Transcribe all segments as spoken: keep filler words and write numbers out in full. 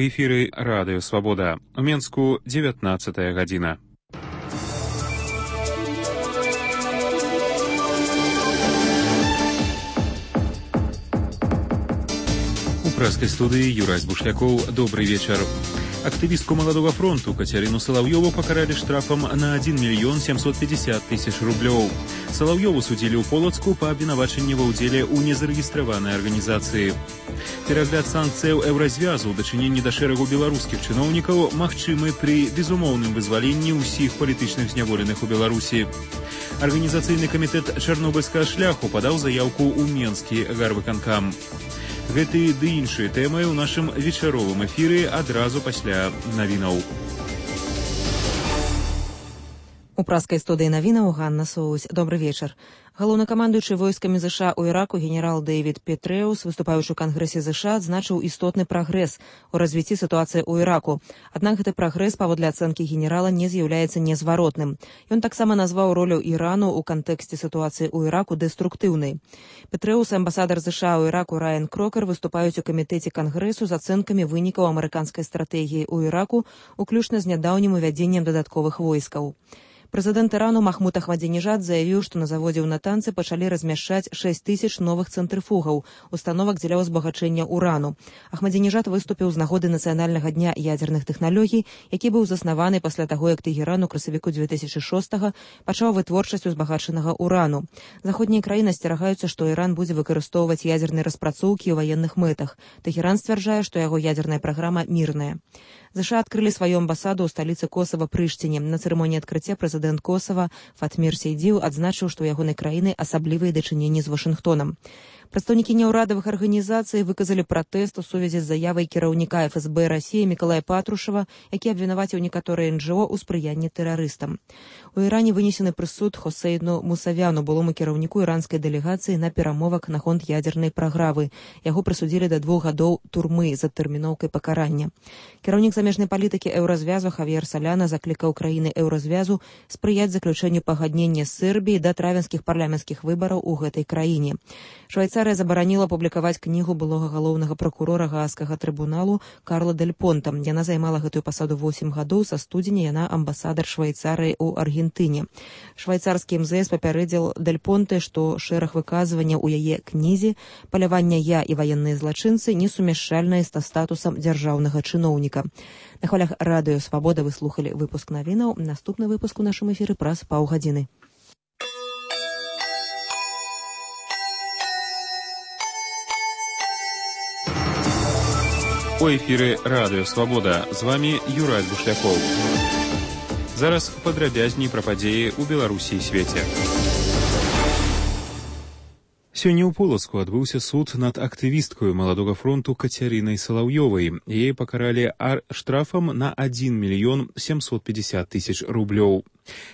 У эфіры Радыё Свабода. У Менску дзевятнаццатая гадзіна. У прэскай студыі Юрась Бушлякоў. Добрый вечар. Актывістку Маладога фронту Кацярыну Салаўёву пакаралі штрафам на один мільён семьсот пятьдесят тысяч рублёў. Салаўёву судзілі ў Полацку па абвінавачанні ва ўдзеле ў незарэгістраванай арганізацыі. Перагляд санкцыяў еўразвязу ў дачыненні да шэрагу беларускіх чыноўнікаў магчымы пры безумоўным вызваленні ўсіх палітычных зняволеных у Беларусі. Арганізацыйны камітэт чарнобыльскага шляху падаў заяўку ў Менскі гарвыканкам. Гэты ды іншыя тэмы ў нашым вечаровым эфіры адразу пасля навінаў. У праскай студыі навінаў Ганна Соусь. Добры вечар. Галоўнакамандуючы войскамі ЗША ў Іраку генерал Дэвід Петрэус, выступаючы ў Кангрэсе ЗША, адзначыў істотны прагрэс у развіцці сітуацыі ў Іраку. Аднак гэты прагрэс, паводле ацэнкі генерала, не з'яўляецца незваротным. Ён таксама назваў ролю Ірану ў кантэксце сітуацыі ў Іраку дэструктыўнай. Петрэус і амбасадар ЗША ў Іраку Райан Крокер выступаюць у камітэце Кангрэсу з ацэнкамі вынікаў амерыканскай стратэгіі ў Іраку, уключна з нядаўнім увядзеннем дадатковых войскаў. Прэзідэнт Ірану Махмуд Ахмадзінежад заявіў, што на заводзе ў Натанцы пачалі размяшчаць шэсць тысяч новых цэнтрыфугаў, установак дзеля ўзбагачэння урану. Ахмадзінежад выступіў з нагоды нацыянальнага дня ядзерных тэхналогій, які быў заснаваны пасля таго, як Тэгеран у красавіку дзве тысячы шостага пачаў вытворчасць узбагачанага урану. Заходнія краіны асцерагаюцца, што Іран будзе выкарыстоўваць ядзерныя распрацоўкі ў ваенных мэтах. Тэгеран сцвярджае, што яго ядзерная праграма мірная. ЗША адкрылі сваю амбасаду ў сталіцы Косава Прыштіне. На цырымоніі адкрыцця прэзідэнт Косава Фатмір Сейдзіў адзначыў, што ў ягонай краіны асаблівыя дачыненні з Вашынгтонам. Прадстаўнікі няўрадавых арганізацый выказалі пратэст у сувязі з заявай кіраўніка эф эс бэ Расіі Мікалая Патрушева, які абвінаваціў некаторыя эн джэ о ў спрыянні тэрарыстам. У Іране вынесены прысуд Хосейну Мусавяну, былому кіраўніку іранскай дэлегацыі на перамовах наконт ядзернай праграмы. Яго прысудзілі да двух гадоў турмы з адтэрміноўкай пакарання. Кіраўнік замежнай палітыкі еўразвязу Хавьер Саляна заклікаў краіны еўразвязу спрыяць заключэнню пагаднення з Сербіяй да травенскіх парламенцкіх выбараў у гэтай краіне. Швайцарыя забараніла публікаваць кнігу былога галоўнага пракурора Гаагскага трыбуналу Карла Дель Понта. Яна займала гэтую пасаду восем гадоў, са студзеня яна амбасадар Швайцарыі ў Аргентыне. Швайцарскі эм зэ эс папярэдзіл Дель Понте, што шэраг выказванняў у яе кнізе «Паляванне я і ваенныя злачынцы» несумяшчальныя са статусам дзяржаўнага чыноўніка. На хвалях Радыё Свабода вы слухалі выпуск навінаў. Наступны выпуск у нашым эфіры праз паўгадзіны. У эфіры Радыё Свабода. З вамі Юрась Бушлякоў. Зараз падрабязней пра падзеі ў Беларусі і свеце. Сёння ў Полацку адбыўся суд над актывісткаю Маладога фронту Кацярынай Салаўёвай. Яе пакаралі штрафам на один мільён семьсот пятьдесят тысяч рублёў.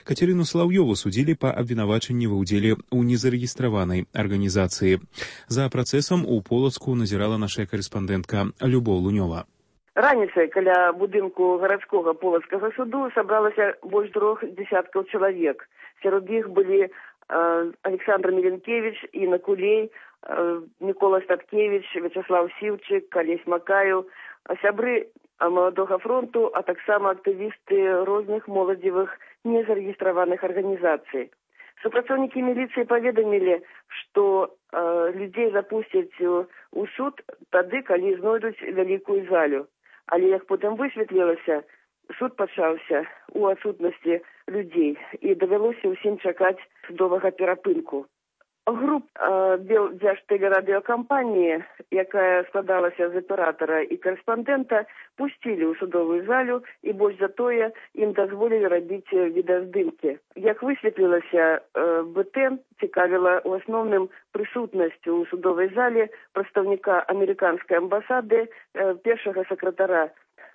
Кацярыну Салаўёву судзілі па абвінавачанні ва ўдзеле ў незарэгістраванай арганізацыі. За працэсам у Полацку назірала наша карэспандэнтка Любоў Лунёва. Раніцай каля будынку гарадскога полацкага суду сабралася больш трох дзесяткаў чалавек. Сярод іх былі Александр Міленкевич, Інна Кулей, Мікола Статкевич, Вячаслав Сіўчык, Алесь Макаеў, сябры Маладога фронту, а таксама актывісты розных моладзевых незарэгістраваных арганізацый. Супрацоўнікі міліцыі паведамілі, што э, людзей запусцяць у суд тады, калі знойдуць вялікую залю. Але як потым высветлілася, суд пачаўся у адсутнасці людзей і давялося ўсім чакаць судовага перапынку. Груп э, Дзяжтэлерадыёкампаніі, якая складалася з аператара і карэспандэнта, пусцілі ў судовую залю і больш за тое ім дазволілі рабіць відэаздымкі. Як высветлілася, э, бэ тэ цікавіла ў асноўным прысутнасцю ў судовай зале прадстаўніка амерыканскай амбасады, э, першага сакратара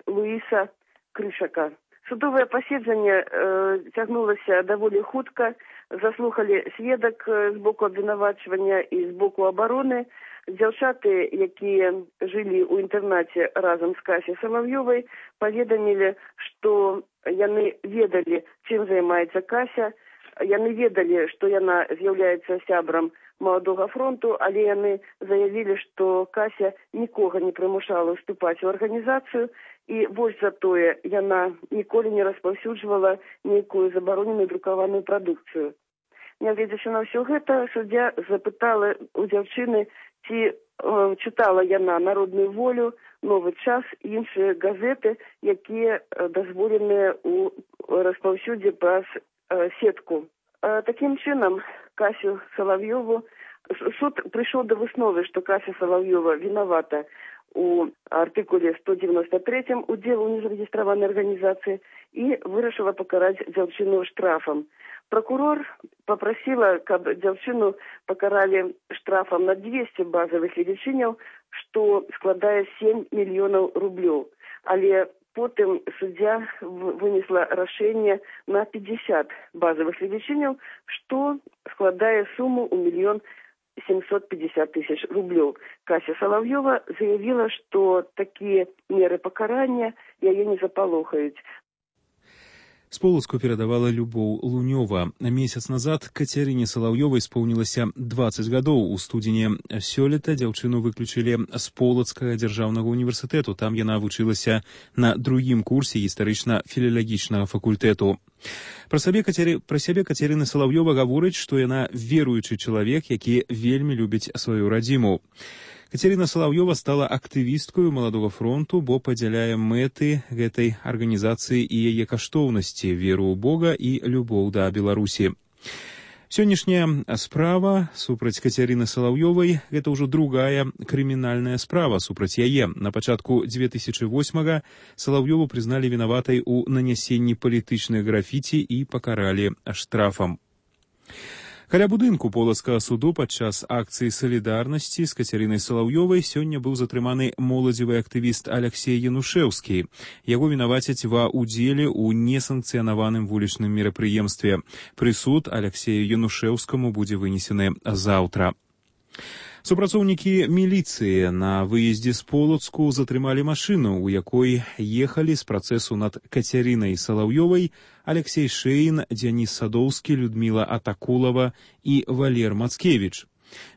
Луіса Крышака. Судовае паседжанне э, цягнулася даволі хутка, заслухалі сведак з боку абвінавачвання і з боку абароны. Дзяўчаты, якія жылі ў інтэрнаце разам з Касяй Салаўёвай, паведамілі, што яны ведалі, чым займаецца Кася, Яны ведалі, што яна з'яўляецца сябрам Маладога фронту, але яны заявілі, што Кася нікога не прымушала ўступаць у арганізацыю, і больш за тое, яна ніколі не распаўсюджвала нейкую забароненую друкаваную прадукцыю. Нягледзячы на ўсё гэта, суддзя запытала у дзяўчыны, ці э, чытала яна «Народную волю», «Новы час» і іншыя газеты, якія дазволеныя ў распаўсюдзе праз э, сетку. Э, такім чынам, Касю Салавьёву, суд прыйшоў да высновы, што Кася Салавьёва вінавата у артыкуле сто девяносто третьем удзелу ў незарэгістраванай арганізацыі і вырашыла пакараць дзяўчыну штрафам. Прокурор попросила, каб дзяўчыну пакаралі штрафам на двести базовых велічыняў, што складае семь мільёнаў рублёў. Але потым суддзя вынесла рашэнне на пятьдесят базовых велічыняў, што складае суму ў мільён семьсот пятьдесят тысяч рублёў. Кася Салавьёва заявила, што такія меры пакарання яе не запалохаюць. З Полацку перадавала Любоў Лунёва. Месяц назад Кацярыне Салаўёвай исполнілася двадцать гадоў. У студзені сёлета дзяўчыну выключылі з Полацкага дзяржаўнага універсітэту. Там яна вучылася на другім курсе гістарычна-філалагічнага факультэту. Пра сабе Кацяры... Пра сябе Кацярына Салаўёва гаворыць, што яна веруючы чалавек, які вельмі любіць сваю радзіму. Кацярына Салаўёва стала актывісткаю Маладога фронту, бо падзяляе мэты гэтай арганізацыі і яе каштоўнасці, веру ў Бога і любоў да Беларусі. Сённяшняя справа супраць Кацярыны Салаўёвай – гэта ўжо другая крымінальная справа супраць яе. На пачатку две тысячы восьмага Салаўёву прызналі вінаватай у нанясенні палітычных графіці і пакаралі штрафам. Каля будынку Полацкага суду падчас акцыі салідарнасці з Кацярынай Салаўёвай сёння быў затрыманы моладзевы актывіст Аляксей Янушэўскі. Яго вінавацяць ва ўдзеле ў несанкцыянаваным вулічным мерапрыемстве. Прысуд Аляксею Янушэўскаму будзе вынесены заўтра. Супрацоўнікі міліцыі на выездзе з Полацку затрымалі машыну, у якой ехалі з працэсу над Кацярынай Салаўёвай Алексей Шэйн, Дзяніс Садоўскі, Людміла Атакулава і Валер Мацкевіч.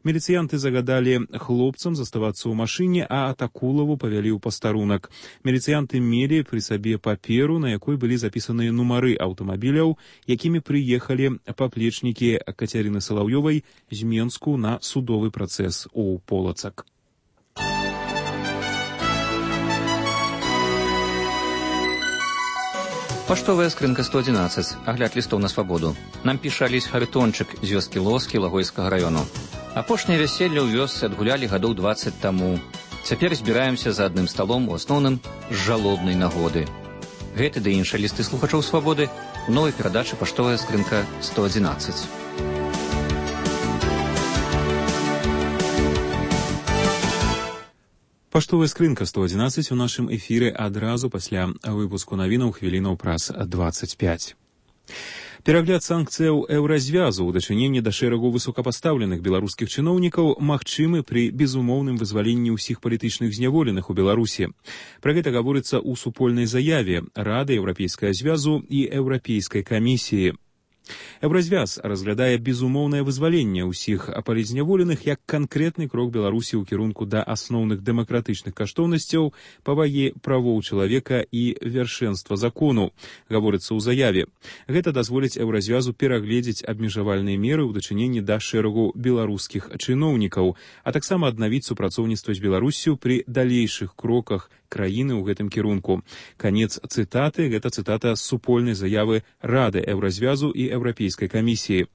Міліцыянты загадалі хлопцам заставацца ў машыне, а Атакулаву павялі ў пастарунак. Міліцыянты мелі пры сабе паперу, на якой былі запісаныя нумары аўтамабіляў, якімі прыехалі паплечнікі Кацярыны Салаўёвай з Менску на судовы працэс у Полацак. Паштовая скрынка сто одиннадцать. Агляд лістоў на свабоду. Нам піша Алесь Харытончык з вёскі Лоскі Лагойскага раёну. Апошняе вяселле ў вёсцы адгулялі гадоў двадцать таму. Цяпер збіраемся за адным сталом, у асноўным з жалобнай нагоды. Гэты ды іншыя лісты слухачоў свабоды у новай перадачы «Паштовая скрынка сто одиннадцать». Паштовая скрынка сто одиннадцать у нашым эфіры адразу пасля выпуску навінаў хвілінаў праз двадцать пять. Перагляд санкцыяў еўразвязу ў дачыненні да шэрагу высокапастаўленых беларускіх чыноўнікаў магчымы пры безумоўным вызваленні ўсіх палітычных зняволеных у Беларусі. Пра гэта гаворыцца ў супольнай заяве Рады Еўрапейскага звязу і Еўрапейскай камісіі. Еўразвяз разглядае безумоўнае вызваленне ўсіх палітзняволеных як канкрэтны крок Беларусі ў кірунку да асноўных дэмакратычных каштоўнасцяў, павагі правоў чалавека і вяршэнства закону, гаворыцца ў заяве. Гэта дазволіць еўразвязу перагледзець абмежавальныя меры ў дачыненні да шэрагу беларускіх чыноўнікаў, а таксама аднавіць супрацоўніцтва з Беларуссю пры далейшых кроках краіны ў гэтым кірунку. Канец цытаты, гэта цытата з супольнай заявы Рады Еўразвязу і Еўрапейскай камісіі.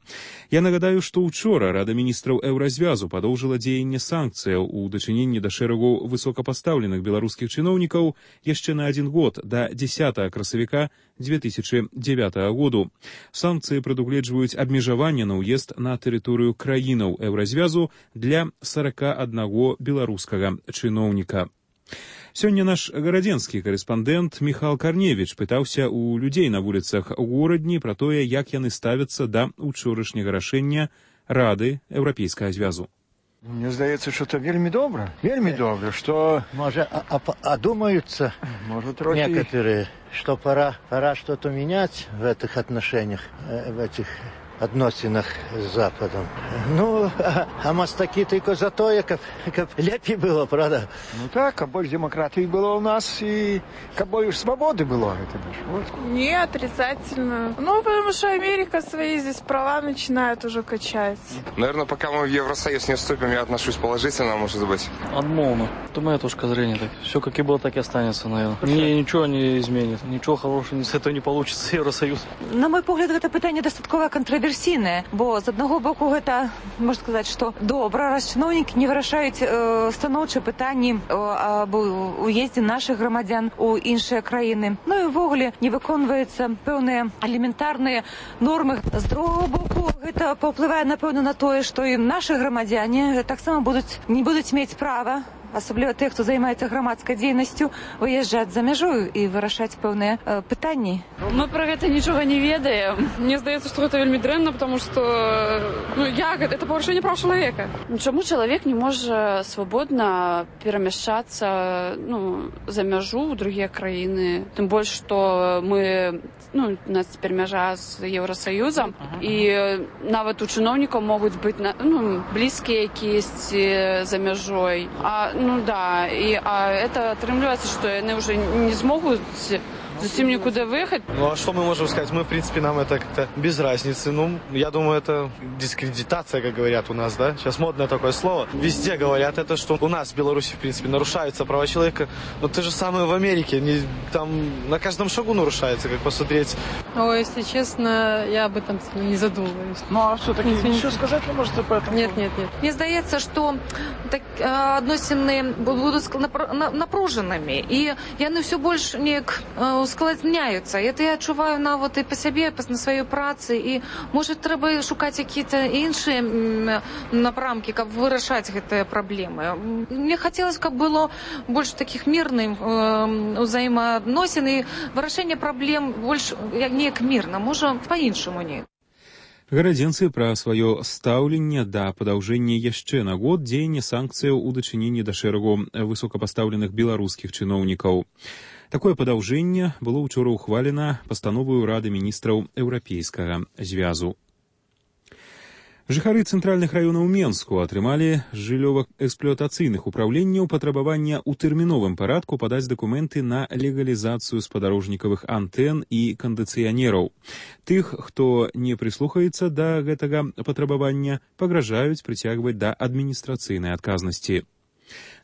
Я нагадаю, што ўчора Рада міністраў Еўразвязу падоўжыла дзеянне санкцыяў у дачыненні да шэрагу высокапастаўленых беларускіх чыноўнікаў яшчэ на адзін год, да дзесятага красавіка две тысячи девятого году. Санкцыі прадугледжваюць абмежаванне на ўезд на тэрыторыю краінаў Еўразвязу для сорока аднаго беларускага чыноўніка. Сёння наш гарадзенскі карэспандэнт Міхал Карневіч пытаўся ў людзей на вуліцах горадні пра тое, як яны ставяцца да учорашняга рашэння Рады Еўрапейскага звязу. Мне здаецца, што это вельмі добра. Вельмі добра, што... Может, одумаются некоторые, что пора, пора что-то менять в этих отношениях, в этих адносінах з Западом. Ну, а, а мастакі тільки за тое, каб, каб лепей было, правда? Ну так, а больше демократии было у нас, и как больше свободы было. Это вот. Не, отрицательно. Ну, потому что Америка свои здесь права начинает уже качать. Наверное, пока мы в Евросоюз не вступим, я отношусь положительно, может быть. Отмолно. Это моя точка зрения. Так. Все как и было, так и останется, наверное. Мне ничего не изменит. Ничего хорошего с этого не получится, Евросоюз. На мой погляд, гэта пытанне дастаткова кантраверсійнае, бо з аднаго боку гэта, можна сказаць, што добра, раз чыноўнікі не вырашаюць э, станоўчыя пытанні э, аб уездзе нашых грамадзян у іншыя краіны. Ну і ўвогуле не выконваюцца пэўныя элементарныя нормы. З другого боку, гэта паўплывае, напэўна, на тое, што і нашы грамадзяне таксама будуць не будуць мець права, асабліва тых, хто займаецца грамадскай дзейнасцю, выязджаць за мяжу і вырашаць пэўныя э, пытанні. Мы про гэта нічога не ведаем. Мне здаецца, што гэта вельмі дрэнна, потому что ну як это парушэнне прав чалавека. Чаму чалавек не можа свабодна перамяшчацца ну за мяжу ў другія краіны? Тым больш, што мы ну у нас цяпер мяжа з Еўрасаюзам uh-huh. і нават у чыноўнікаў могуць быць ну блізкія якісь за мяжой. А ну да, и а это отрымливается, что они уже не смогут зачем никуда выехать. Ну а что мы можем сказать? Мы, в принципе, нам это как-то без разницы. Ну, я думаю, это дискредитация, как говорят у нас, да? Сейчас модное такое слово. Везде говорят это, что у нас в Беларуси, в принципе, нарушаются права человека. Но то же самое в Америке. Не, там на каждом шагу нарушается, как посмотреть. О, если честно, я об этом не задумываюсь. Ну а что, таки ничего сказать не можете по этому? Нет, нет, нет. Мне здаецца, што так, адносіны будуць напружанымі. І яны ўсё больш неяк ускладняюцца. Это я адчуваю нават і па сябе, на сваёй працы. І, можа, трэба шукаць якія-то іншыя напрамкі, каб вырашаць гэтыя праблемы. Мне хацелось, каб было больш такіх мірных узаемаадносін і вырашэнне праблем больш неяк мірна. Можа, па-іншаму неяк. Гарадзенцы пра сваё стаўленне да падаўжэння яшчэ на год дзеяння санкцыяў у дачыненні да шэрагу высокапастаўленых беларускіх чыноўнікаў. Такое падаўжэнне было ўчора ўхвалена пастановаю Рады міністраў Еўрапейскага звязу. Жыхары цэнтральных раёнаў Менску атрымалі жыллёва-эксплуатацыйных упраўленняў патрабавання ў тэрміновым парадку падаць дакументы на легалізацыю спадарожнікавых антэн і кандыцыянераў. Тых, хто не прыслухаецца да гэтага патрабавання, пагражаюць прыцягваць да адміністрацыйнай адказнасці.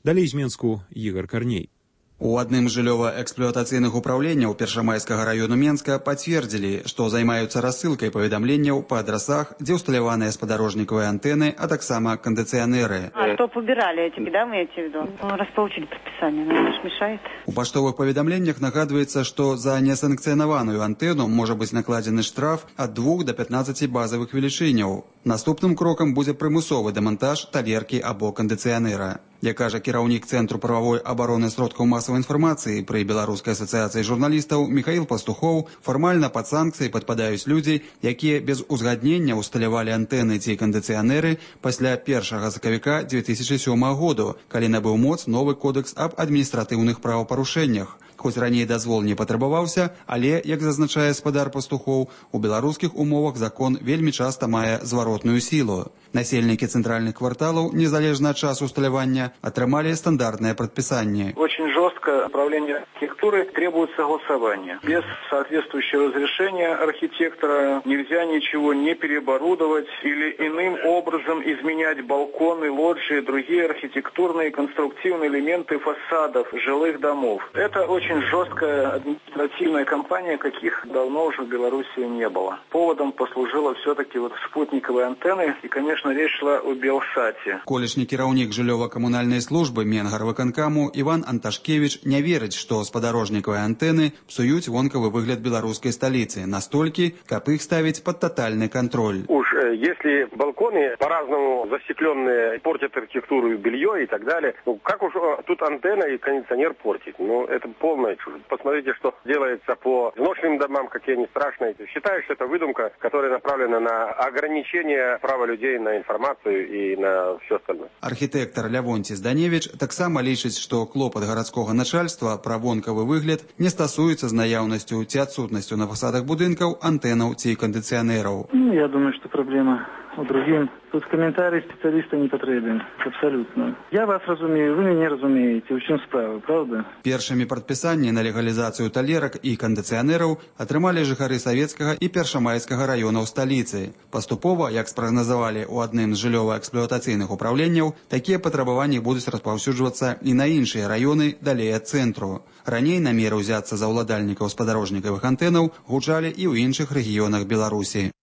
Далей з Менску Ігор Карней. У адным з жыллёва-эксплуатацыйных упраўленняў Першамайскага раёну Менска пацвердзілі, што займаюцца рассылкай паведамленняў па адрасах, дзе ўсталяваныя спадарожнікавыя антэны, а таксама кандыцыянеры. А что побирали эти, да, вы имеете в виду? Раз получили предписание, наверное, мешает. У паштовых паведамленнях нагадваецца, што за несанкцыянаваную антэну можа быць накладзены штраф ад двух да пятнаццаці базавых велічыняў. Наступным крокам будзе прымусовы дэмантаж талеркі або кандыцыянера. Як кажа кіраўнік Цэнтру прававой абароны сродкаў масавай інфармацыі пры Беларускай асацыяцыі журналістаў Міхаіл Пастухоў, фармальна пад санкцыі падпадаюць людзі, якія без узгаднення ўсталявалі антэны ці кандыцыянеры пасля першага сакавіка дзве тысячы сёмага году, калі набыў моц новы кодэкс аб адміністратыўных правапарушэннях. Хоць раней дазвол не патрабаваўся, але, як зазначае спадар Пастухоў, у беларускіх умовах закон вельмі часта мае зваротную сілу. Насельнікі цэнтральных кварталаў, незалежна ад часу усталявання, атрымалі стандартнае прадпісанне. Очень жестко управление архитектуры требует согласования. Без соответствующего разрешения архитектора нельзя ничего не переоборудовать или иным образом изменять балконы, лоджии, другие архитектурные и конструктивные элементы фасадов жилых домов. Это очень жесткая административная кампания, каких давно уже в Беларуси не было. Поводом послужила все-таки вот спутниковые антенны, и, конечно, речь шла о Белсате. Колішні кіраўнік жыллёва-камунальнай службы Менгарвыканкаму Іван Анташкевич не верыць, што спадарожнікавыя антэны псуюць вонкавы выгляд беларускай сталіцы настолькі, каб іх ставіць под тотальный контроль. Уж если балконы по-разному застекленные портят архитектуру и белье и так далее, ну как уж тут антенна и кондиционер портить? Ну это полный полная чушь. Посмотрите, что делается по изношенным домам, какие они страшные. Считаю, что это выдумка, которая направлена на ограничение права людей на информацию и на все остальное. Архітэктар Лявонці Зданевіч таксама лічыць, што клопат гарадскога начальства пра вонкавы выгляд не стасуецца з наяўнасцю ці адсутнасцю на фасадах будынкаў антэнаў ці кандыцыянераў. Ну, я думаю, что проблема у другим. Тут комментарий специалиста не потребен. Абсолютно. Я вас разумею, вы меня разумеете. У чым справа, правда? Першымі прадпісанні на легалізацыю талерак і кандыцыянераў атрымалі жыхары Савецкага і Першамайскага раёнаў сталіцы. Паступова, як спрагназавалі ў адным з жыллёва-эксплуатацыйных управленняў, такія патрабаванні будуць распаўсюджвацца і на іншыя раёны далей ад цэнтру. Раней намеры ўзяцца за ўладальнікаў спадарожнікавых антэнаў гучалі і ў іншых рэгіёнах Беларусі.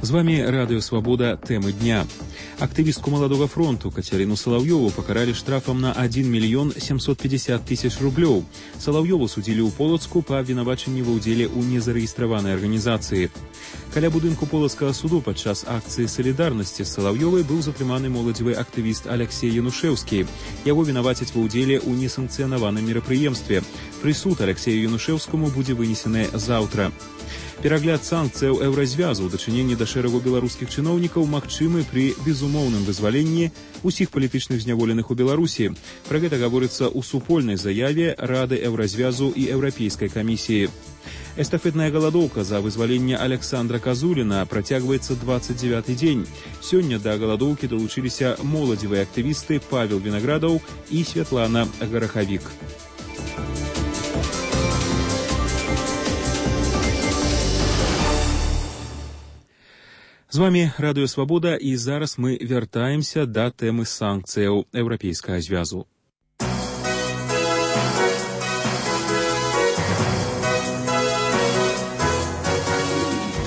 З вами Радио Свобода. Темы дня. Активистку Молодого фронту Катерину Соловьеву покарали штрафом на один миллион семьсот пятьдесят тысяч рублей. Соловьеву судили у Полоцку по обвинуваченню в удзеле у незарегистрованной организации. Каля будынку Полоцкага суду падчас акции солидарности с Соловьевой был затрыманы моладзевы активист Алексей Янушевский. Его винавацяць в удзеле у несанкцыянаваным мерапрыемстве. Прысуд Алексею Янушевскому будзе вынесены заўтра. Перагляд санкцыяў еўразвязу ў дачыненні да шэрагу беларускіх чыноўнікаў магчымы пры безумоўным вызваленні усіх палітычных зняволеных у Беларусі. Пра гэта гаворыцца ў супольнай заяве Рады еўразвязу і Еўрапейскай камісіі. Эстафетная галадоўка за вызваленне Александра Казуліна працягваецца дваццаць дзевяты дзень. Сёння да галадоўкі далучыліся моладзевыя актывісты Павел Вінаградаў і Святлана Гарахавік. З вами Радыё Свабода, і зараз мы вяртаемся да тэмы санкцыяў Еўрапейскага звязу.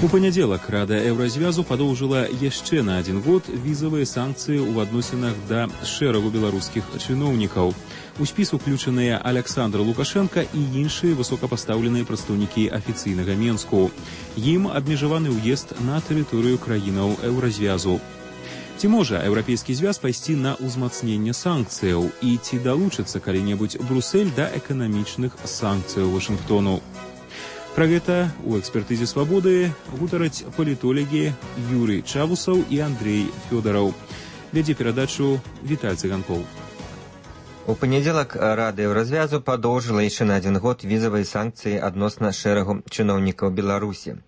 У панядзелак Рада Еўразвязу падоўжыла яшчэ на адзін год візавыя санкцыі ў адносінах да шэрагу беларускіх чыноўнікаў. У спіс уключаныя Александр Лукашенко і іншыя высокапастаўленыя прадстаўнікі афіцыйнага Менску. Ім абмежаваны ўезд на тэрыторыю краінаў Еўразвязу. Ці можа Еўрапейскі звяз пайсці на ўзмацненне санкцыяў і ці далучыцца калі-небудзь Брусэль да эканамічных санкцыяў Вашынгтону? Пра гэта ў экспертызе Свабоды гутараць палітолагі Юрый Чавусаў і Андрей Фёдараў. Вядзе перадачу Віталь Цыганкоў. У панядзелак Рада Еўразвязу падоўжыла яшчэ на адзін год візавыя санкцыі адносна шэрагу чыноўнікаў Беларусі.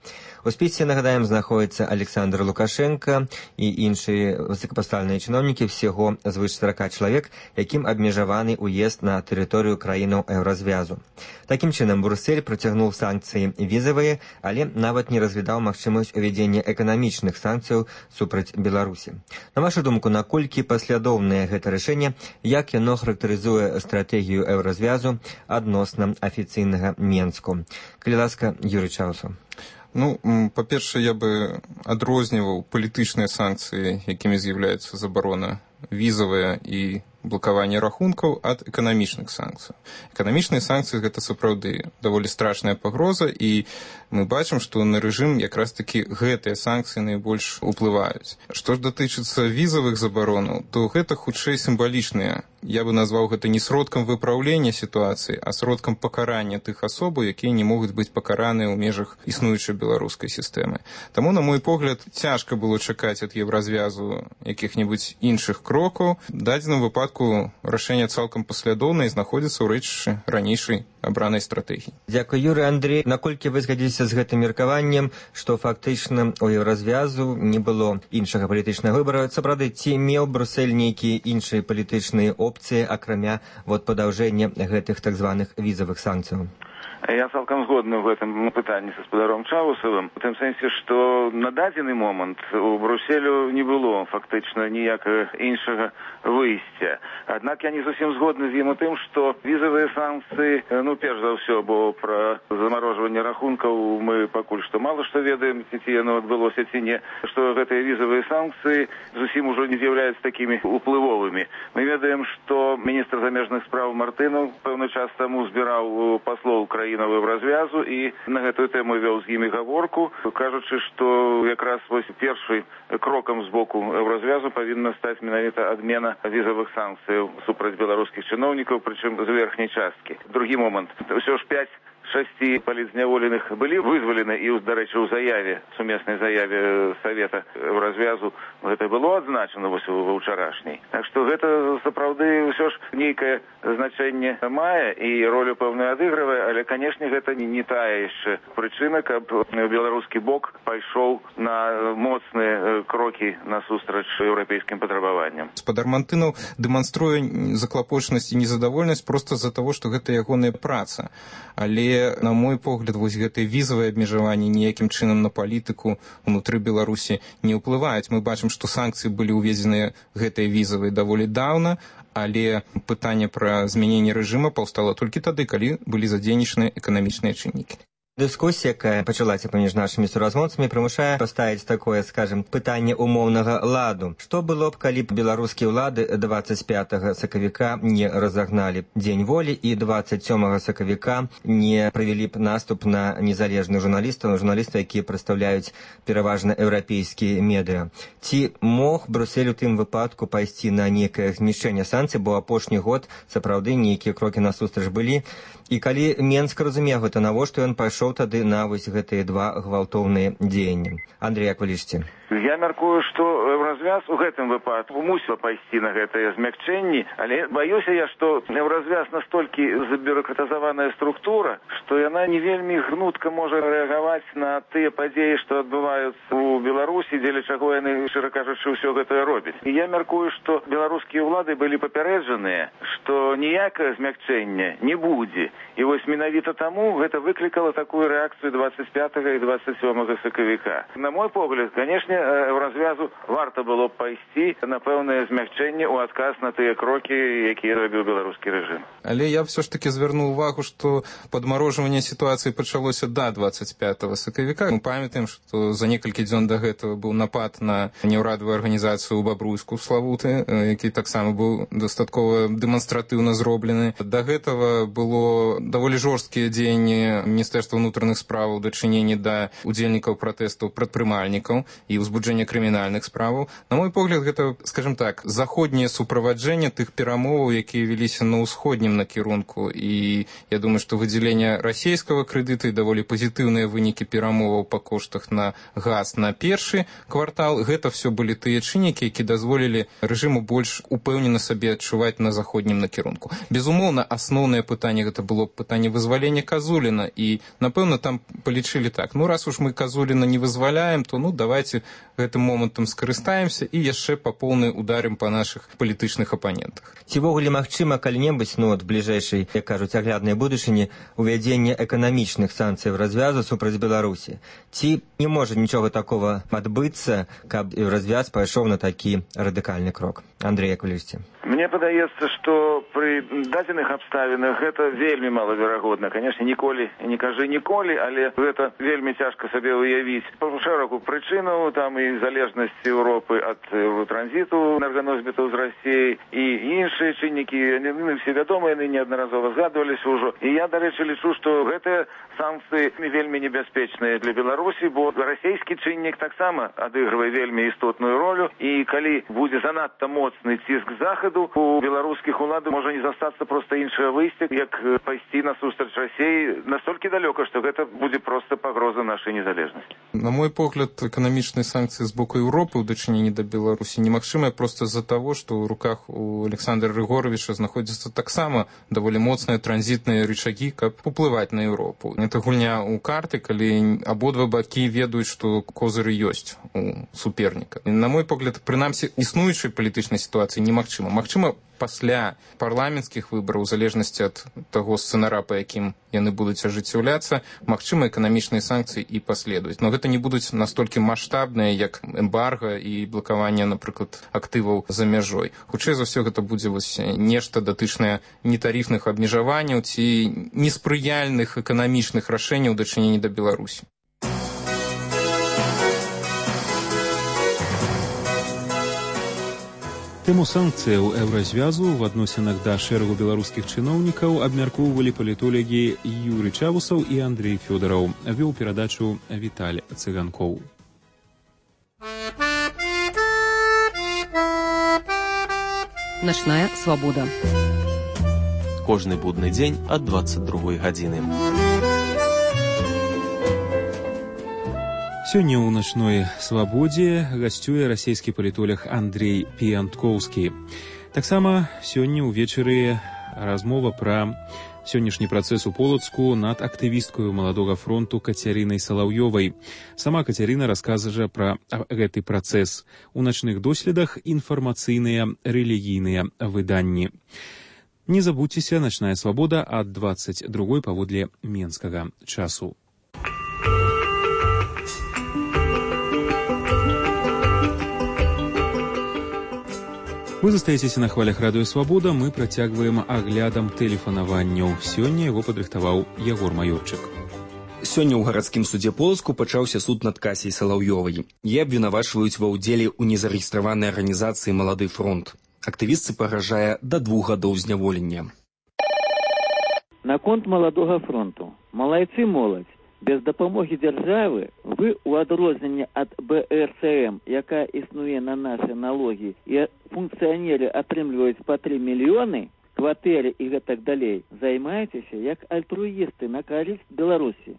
У спісе, нагадаем, знаходзіцца Александр Лукашенко і іншыя высокапастаўленыя чыноўнікі, всяго звыш сорок чалавек, якім абмежаваны ўезд на тэрыторыю краінаў Еўразвязу. Такім чынам, Брусэль працягнуў санкцыі візавыя, але нават не разглядаў магчымасць увядзення эканамічных санкцыяў супраць Беларусі. На вашу думку, наколькі паслядоўнае гэта рашэнне, як яно характарызуе стратэгію Еўразвязу адносна афіцыйнага Менску? Калі ласка, Юрый Чавусаў. Ну, па-першае, я бы адрозніваў палітычныя санкцыі, якімі з'яўляецца забарона візавая і блакаванне рахункаў ад эканамічных санкцый. Эканамічныя санкцыі гэта сапраўды даволі страшная пагроза, і мы бачым, што на рэжым якраз такі гэтыя санкцыі найбольш уплываюць. Што ж датычыцца візавых забаронаў, то гэта хутчэй сімвалічныя. Я бы назваў гэта не сродкам выпраўлення сітуацыі, а сродкам пакарання тых асобаў, якія не могуць быць пакараныя ў межах існуючай беларускай сістэмы. Таму, на мой погляд, цяжка было чакаць ад Еўразвязу якіх-небудзь іншых крокаў. В дадзеным выпадку рашэнне цалкам паслядоўнае і знаходзіцца ў рэчышчы ранейшай абранай стратэгіі. Дзякуй, Юрый. Андрей, наколькі вы згадзіліся з гэтым меркаваннем, што фактычна у Еўразвязу не было іншага палітычнага выбара? Сапраўды, ці меў Брусэль нейкія іншыя палітычныя опцыі, акрамя вот падаўжэння гэтых так званых візавых санкцыяў? Я цалкам згодны в этом пытанні са спадаром Чавусавым, у тым сэнсе, што на дадзены момант у Бруселю не было фактычна ніякага іншага выйсця. Аднак я не зусім згодны з ім у тым, што візавыя санкцыі, ну, перш за ўсё, бо пра замарожванне абслугоўвання рахункаў мы пакуль што мала што ведаем, ці яно адбылося ці не, што гэтыя візавыя санкцыі зусім ужо не з'яўляюцца такімі уплывовымі. Мы ведаем, што міністр замежных спраў Мартынаў пэўны час таму збіраў паслоў краінаў Еўразвязу і на гэтую тэму вёў з імі гаворку, кажучы, што якраз вось першы крокам з боку Еўразвязу павінна стаць менавіта адмена візавых санкцыяў супраць беларускіх чыноўнікаў, прычым з верхняй часткі. Другі момант. Усё ж пяць шасці палітзняволеных былі вызвалены і, дарэчы, у заяве, сумеснай заяве Савета Еўразвязу гэта было адзначана вось ва ўчарашняй. Так што гэта сапраўды ўсё ж нейкае значэнне мае і ролю пэўную адыгрывае, але, канешне, гэта не тая яшчэ прычына, каб беларускі бок пайшоў на моцныя крокі насустрач еўрапейскім патрабаванням. Спадар Мартынаў дэманструе заклапочанасць і незадаволенасць проста з-за таго, што гэта ягоная праца. Але, на мой погляд, вось гэтыя візавыя абмежаванні ніякім чынам на палітыку ўнутры Беларусі не ўплываюць. Мы бачым, што санкцыі былі ўведзеныя гэтыя візавыя даволі даўна, але пытанне пра змяненне рэжыма паўстала толькі тады, калі былі задзейнічаны эканамічныя чыннікі. Дыскусія, якая пачалася паміж нашымі суразмоўцамі, прымушае паставіць такое, скажем, пытанне умоўнага ладу. Што было б, калі б беларускія ўлады дваццаць пятага сакавіка не разагналі дзень волі і дваццаць сёмага сакавіка не правялі б наступ на незалежных журналістаў, журналістаў, якія прадстаўляюць пераважна еўрапейскія медыа. Ці мог Брюссель у тым выпадку пайсці на нейкае знішчэнне санкцый, бо апошні год сапраўды нейкія крокі насустрач былі. І калі Менск разумеў гэта, навошта ён пайшоў тады на вось гэтыя два гвалтоўныя дзеянні? Андрей, як вы лічыце? Я мяркую, што Еўразвяз у гэтым выпадку мусіў пайсці на гэтыя змякчэнні, але баюся я, што Еўразвяз настолькі забюрократызаваная структура, што яна не вельмі гнутка можа рэагаваць на тыя падзеі, што адбываюцца у Беларусі, дзеля чаго яны, шчыра кажучы, ўсё гэта робяць. І я мяркую, што беларускія ўлады былі папярэджаныя, што ніякае змякчэння не будзе. І вось менавіта таму гэта выклікала такую рэакцыю дваццаць пятага і дваццаць сёмага сакавіка. На мой погляд, канешне, Еўразвязу варта было б пайсці на пэўнае змякчэнне ў адказ на тыя крокі, якія рабіў беларускі рэжым. Але я ўсё ж таки звярнуў увагу, што падмарожванне сітуацыі пачалося да дваццаць пятага сакавіка. Мы памятаем, што за некалькі дзён да гэтага быў напад на неўрадавую арганізацыю ў Бабруйску ў Славуты, які таксама быў дастаткова дэманстратыўна зроблены. Да гэтага было даволі жорсткія дзеянні Міністэрства ўнутраных справаў у дачыненні да удзельнікаў пратэстаў прадпрымальнікаў і ўзбуджэння крымінальных справаў. На мой погляд, гэта, скажем так, заходняе суправаджэнне тых перамоваў, якія веліся на ўсходнім накірунку. І я думаю, што выдзяленне расійскага крэдыта і даволі пазітыўныя вынікі перамоваў па коштах на газ на першы квартал, гэта все былі тыя чыннікі, які дазволілі рэжыму больш упэўнена сабе адчуваць на заходнім накірунку. Безумоўна, асноўнае пытанне гэта было пытанне вызвалення Казуліна, і, напэўна, там палічылі так. Ну, раз уж мы Казуліна не вызваляем, то, ну, давайте гэтым момантам скарыстаемся і яшчэ па поўнай ударым па нашых палітычных апанентах. Ці ввогуле магчыма калі-небудзь, ну, от бліжэйшай, як кажуць, агляднай будучыні, увядзення эканамічных санкцый развязу супраць Беларусі? Ці не можа нічога такого адбыцца, каб развяз пайшоў на такі радыкальны крок? Андрей, як вы лічыце? Мне падаецца, што пры дадзеных абставінах гэта вельмі малаверагодна. Канешне, ніколі, не кажы ніколі, але гэта вельмі цяжка сабе уявіць. Па шэрагу прычынаў, там і залежнасць Еўропы ад транзіту энерганосьбітаў з Расіі і іншыя чыннікі, яны все вядомыя, яны неаднаразова згадваліся ўжо. І я, дарэчы, лічу, што гэтыя санкцыі вельмі небяспечныя для Беларусі, бо расійскі чыннік таксама адыгрывае вельмі істотную ролю, і калі будзе занадта моцны ціск захаду, у беларускіх уладаў можа не застацца проста іншае выйсце, як пайсці насустрач Расіі настолькі далёка, што гэта будзе проста пагроза нашай незалежнасці. На мой погляд, эканамічныя санкцыі з боку Еўропы ў дачыненні да Беларусі немагчымыя проста з-за таго, што ў руках у Александра Рыгоровича знаходзяцца таксама даволі моцныя транзітныя рычагі, каб уплываць на Еўропу. Гэта гульня ў карты, калі абодва бакі ведаюць, што козыры ёсць у суперніка. На мой погляд, прынамсі, існуючай палітычнай сітуацыі немагчыма. Магчыма, пасля парламенцкіх выбараў, у залежнасці ад таго сцэнара, па якім яны будуць ажыццяўляцца, магчыма, эканамічныя санкцыі і паследуюць. Но гэта не будуць настолькі маштабныя, як эмбарга і блакаванне, напрыклад, актываў за мяжой. Хутчэй за ўсё гэта будзе вось нешта датычнае нетарыфных абмежаванняў ці неспрыяльных эканамічных рашэнняў у дачыненні да Беларусі. Тэму санкцыяў еўразвязу ў адносінах да шэрагу беларускіх чыноўнікаў абмяркоўвалі палітолагі Юрый Чавусаў і Андрей Фёдораў. Вёў перадачу Віталь Цыганкоў. Начная свабода. Кожны будны дзень ад дваццаць другой гадзіны. Сёння ў начной свабодзе гасцюе расійскі палітолог Андрей Піянткоўскі. Таксама сёння ўвечары размова пра сённяшні працэс у Полацку над актывісткаю маладога фронту Кацярынай Салаўёвай. Сама Кацярына раскажа пра гэты працэс. У начных доследах інфармацыйныя рэлігійныя выданні. Не забудзьцеся, начная свабода ад дваццаць другой паводле менскага часу. Вы застаецеся на хвалях радыё Свабода, мы працягваем аглядам тэлефанаванняў. Сёння яго падрыхтаваў Ягор Маёрчык. Сёння ў гарадскім судзе Полацку пачаўся суд над Касяй Салаўёвай. Яе абвінавачваюць ва ўдзеле ў незарэгістраванай арганізацыі «Малады фронт». Актывістцы пагражае да двух гадоў зняволення. Наконт «Маладога фронту». Малайцы моладзь. Без дапамогі дзяржавы вы ў адрозненне ад бэ эр цэ эм, якая існуе на нашы налогі, і функцыянеры атрымліваюць па тры мільёны, кватэры і гэтак далей, займаецеся як альтруісты на карысць Беларусі.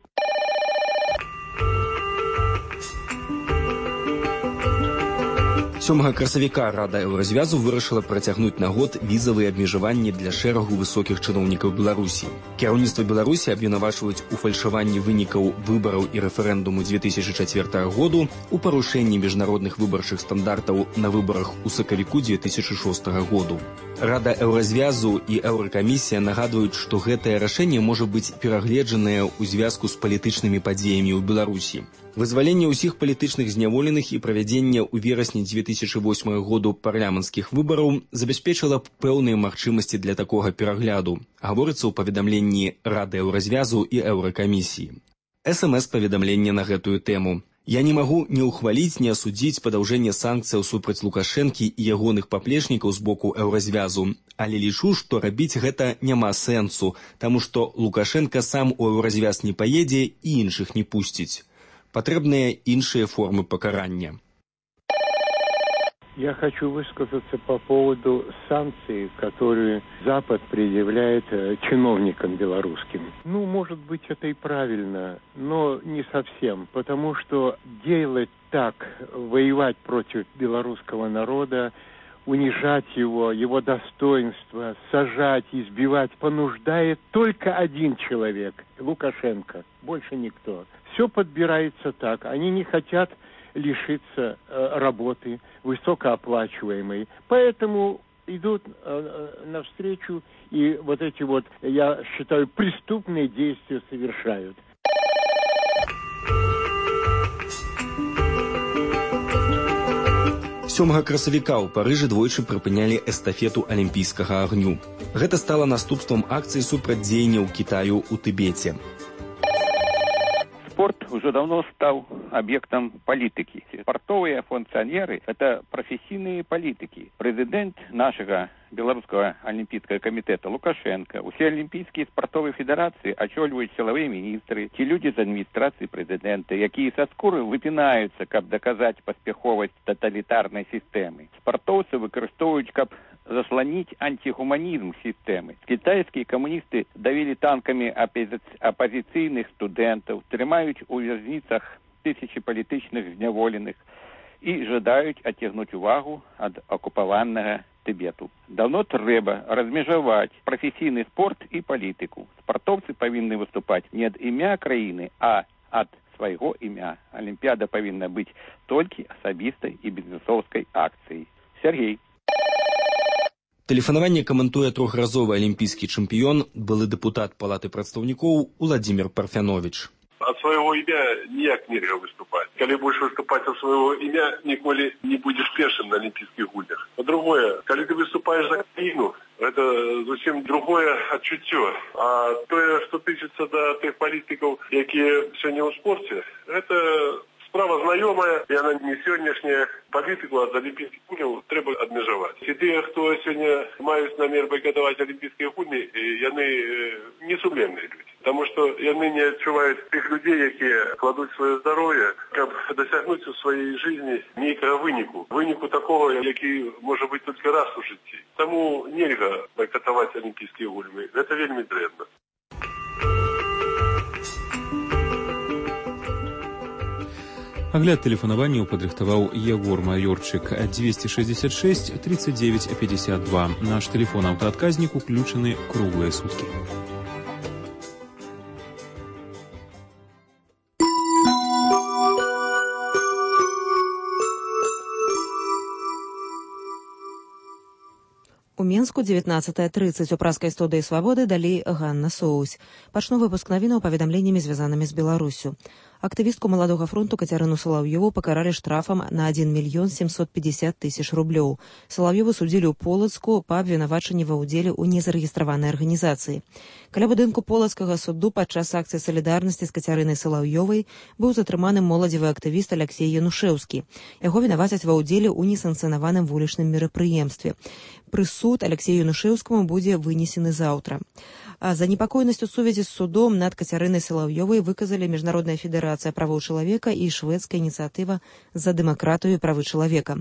сёмага красавіка Рада еўразвязу вырашыла працягнуць на год візавыя абмежаванні для шэрагу высокіх чыноўнікаў Беларусі. Кіраўніцтва Беларусі абвінавачваюць у фальшаванні вынікаў выбараў і рэферэндуму дзве тысячы чацвёртага году, у парушэнні міжнародных выбарчых стандартаў на выбарах у сакавіку дзве тысячы шостага году. Рада еўразвязу і еўракамісія нагадваюць, што гэтае рашэнне можа быць перагледжанае ў звязку з палітычнымі падзеямі ў Беларусі. Вызваленне ўсіх палітычных зняволеных і правядзенне ў верасні дзве тысячы восьмага году парламенцкіх выбараў забяспечыла пэўныя магчымасці для такога перагляду, гаворыцца ў паведамленні Рады еўразвязу і еўракамісіі. эс эм эс паведамленне на гэтую тэму. Я не магу не ўхваліць, не асудзіць падаўжэнне санкцыяў супраць Лукашэнкі і ягоных паплечнікаў з боку еўразвязу, але лічу, што рабіць гэта няма сэнсу, таму што Лукашэнка сам у еўразвяз не паедзе і іншых не пусціць. Патрэбныя іншыя формы пакарання. Я хочу высказаться по поводу санкций, которые Запад предъявляет чиновникам белорусским. Ну, может быть, это и правильно, но не совсем, потому что делать так, воевать против белорусского народа, унижать его, его достоинство, сажать, избивать, понуждает только один человек – Лукашенко, больше никто. Все подбирается так. Они не хотят лишиться э, работы высокооплачиваемой. Поэтому идут э, навстречу и вот эти вот, я считаю, преступные действия совершают. сёмага красавіка ў Парыжы двойчы прыпынялі эстафету алімпійскага агню. Гэта стала наступствам акцыі супрацьдзеянняў Кітаю ў Тыбеце. Спорт уже давно стал объектом политики. Спортовые функционеры – это профессийные политики. Президент нашего Белорусского олимпийского комитета Лукашенко, все олимпийские спортовые федерации очолюють силовые министры, те люди из администрации президента, які со скуры выпинаются, как доказать поспеховость тоталитарной системы. Спортовцы выкористовують, как заслонить антигуманизм системы. Китайские коммунисты давили танками оппози- оппозиционных студентов, тримають у в'язницах тысячи политичных зняволеных и жадають оттягнуть увагу от оккупованного Тибету. Давно трэба размежаваць професійны спорт і палітыку. Спартоўцы павінны выступаць не ад імя краіны, а ад свайго імя. Алімпіяда павінна быць толькі асабістай і бізнесоўскай акцыяй. Сергей. Тэлефанаванне каментуе трохразовы алімпійскі чэмпіён, былы дэпутат Палаты прадстаўнікоў Уладзімір Парфяновіч. От своего имя ніяк нельзя выступать. Когда будешь выступать от своего имя, николи не будешь первым на Олимпийских гульнях. По-другое, когда ты выступаешь за країну, это зовсім другое отчуття. А то, что тычется до тех политиков, которые сегодня в спорте, это справа знайомая, і вона не сьогоднішня. Політику від Олімпійських гульнів треба обмежувати. І ті, хто сьогодні мають намір бойкотувати Олімпійські гульні, вони не сумлінні люди. Тому що вони не відчувають тих людей, які кладуть своє здоров'я, щоб досягнути у своїй житті ніякого виніку. Виніку такого, який може бути тільки раз у житті. Тому нельзя бойкотувати Олімпійські гульні. Це вельми древно. Агляд тэлефанаванняў падрыхтаваў Егор Майорчык. двести шестьдесят шесть тридцать девять пятьдесят два. Наш тэлефон аўтаадказнік уключаны круглыя суткі. У Мінску девятнадцатая тридцать. У праскай студыі «Свабоды» далей Ганна Соусь. Пачну выпуск навінаў паведамленнямі, звязанымі з Беларусю. Актывістку Маладога фронту Кацярыну Салаўёву пакаралі штрафам на один миллион семьсот пятьдесят тысяч рублёў. Салаўёву судзілі ў Полацку па абвінавачанні ва ўдзеле ў незарэгістраванай арганізацыі. Каля будынку полацкага суду падчас акцыі салідарнасці з Кацярынай Салаўёвай быў затрыманы моладзевы актывіст Алексей Янушэўскі. Яго вінавацяць ва ўдзеле ў несанкцыянаваным вулічным мерапрыемстве. Прысуд Алексею Янушэўскаму будзе вынесены заўтра. А занепакоенасць у сувязі з судом над Кацярынай Салаўёвай выказалі Міжнародная федэрацыя правоў чалавека і шведская ініцыятыва за дэмакратыю і правы чалавека.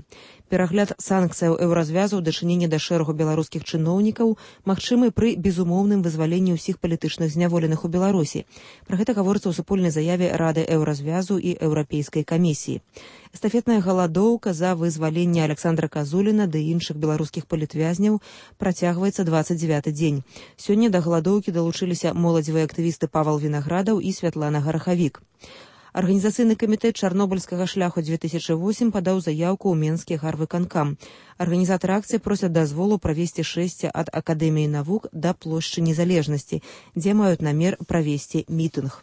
Перагляд санкцыяў еўразвязу ў дачыненні да шэрагу беларускіх чыноўнікаў магчымы пры безумоўным вызваленні ўсіх палітычных зняволеных у Беларусі. Пра гэта гаворыцца ў супольнай заяве Рады еўразвязу і Еўрапейскай камісіі. Эстафетная галадоўка за вызваленне Александра Казуліна ды іншых беларускіх палітвязняў працягваецца двадцать девяты дзень. Сёння да галадоўкі далучыліся моладзевыя актывісты Павал Вінаградаў і Святлана Гарахавік. Арганізацыйны камітэт чарнобыльскага шляху две тысячи восемь падаў заяўку ў Менскі гарвыканкам. Арганізатары акцыі просяць дазволу правесці шэсце ад Акадэміі навук да плошчы Незалежнасці, дзе маюць намер правесці мітынг.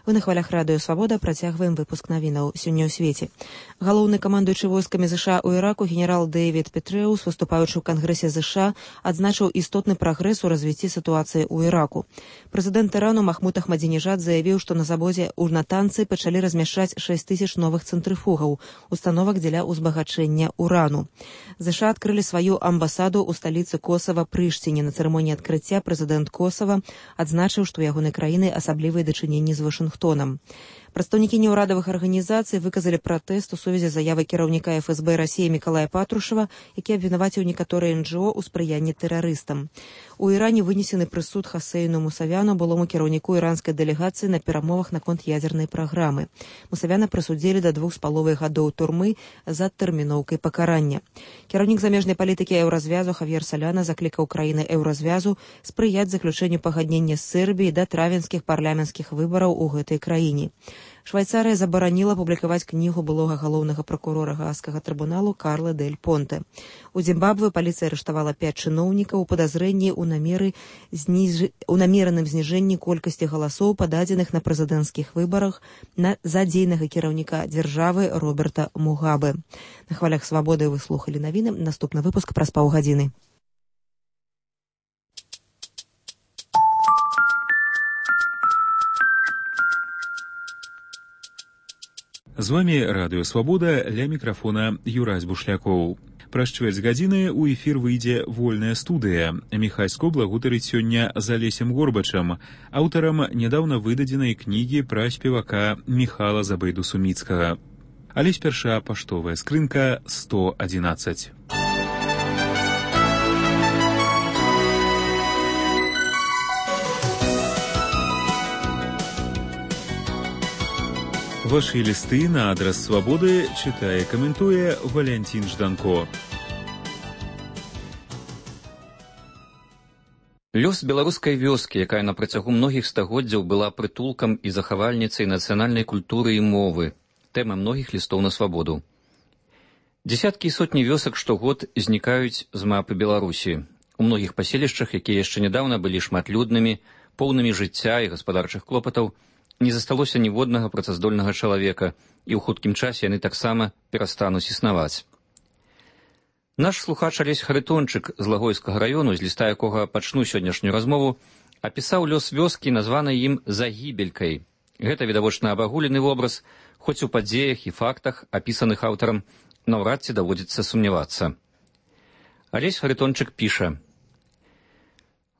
Вы на хвалях радыё «Свабода» працягваем выпуск навінаў сёння ў свеце. Галоўны камандуючы войскамі ЗША ў Іраку генерал Дэвід Петрэус, выступаючы ў Кангрэсе ЗША, адзначыў істотны прагрэс у развіцці сітуацыі ў Іраку. Прэзідэнт Ірану Махмуд Ахмадзінежад заявіў, што на заводзе ў Натанцы пачалі размяшчаць шэсць тысяч новых цэнтрыфугаў, установак дзеля ўзбагачэння урану. ЗША адкрылі сваю амбасаду ў сталіцы Косава Прыштіне. На цырымоніі адкрыцця прэзідэнт Косава адзначыў, што ў ягонай краіны асаблівыя дачыненні з Вашынгтонам. Прадстаўнікі неўрадавых арганізацый выказалі пратэст у сувязі з заявай кіраўніка эф эс бэ Расіі Мікалая Патрушева, які абвінаваціў некаторыя эн джэ о ў спрыянні тэрарыстам. У Іране вынесены прысуд Хасейну Мусавяну, былому кіраўніку іранскай дэлегацыі на перамовах наконт ядзернай праграмы. Мусавяна прысудзілі да двух з паловай гадоў турмы за тэрміноўкай пакарання. Кіраўнік замежнай палітыкі еўразвязу Хавьер Саляна заклікаў краіны еўразвязу спрыяць заключэнню пагаднення з Сербіяй да травенскіх парламенцкіх выбараў у гэтай краіне. Швайцарыя забараніла публікаваць кнігу былога галоўнага пракурора Гаагскага трыбуналу Карла Дель Понте. У Зімбабве паліцыя арыштавала пяць чыноўнікаў у падазрэнні ў намеры зніж... у намераным зніжэнні колькасці галасоў, пададзеных на прэзідэнцкіх выбарах на задзейнага кіраўніка дзяржавы Роберта Мугабе. На хвалях «Свабоды» вы слухалі навіны. Наступны выпуск праз паўгадзіны. З вами радыё «Свабода», ля мікрафона Юрась Бушлякоў. Праз чвэрць гадзіны ў эфір выйдзе вольная студыя. Міхайско благутарыць сёння з Алесем Горбачам, аўтарам нядаўна выдадзенай кнігі пра спевака Міхала Забайду-Суміцкага. Але спярша паштовая скрынка сто адзінаццаць. Ваши листы на адрес «Свободы» читае и комментуе Валентин Жданко. Лёс беларускай вёскі, якая на працягу многіх стагоддзяў была прытулкам і захавальніцай нацыянальнай культуры і мовы, тэма многіх лістоў на свабоду. Дзесяткі і сотні вёсак штогод знікаюць з мапы Беларусі. У многіх паселішчах, якія яшчэ нядаўна былі шматлюднымі, поўнымі жыцця і гаспадарчых клопатаў, не засталося ніводнага працаздольнага чалавека, і ў хуткім часе яны таксама перастануць існаваць. Наш слухач Алесь Харитончык з Лагойскага раёну, з ліста якога пачну сённяшнюю размову, апісаў лёс вёскі, названай ім Загібелькай. Гэта відавочна абагулены вобраз, хоць у падзеях і фактах, апісаных аўтарам, наўрад ці даводзіцца сумнявацца. Алесь Харитончык піша: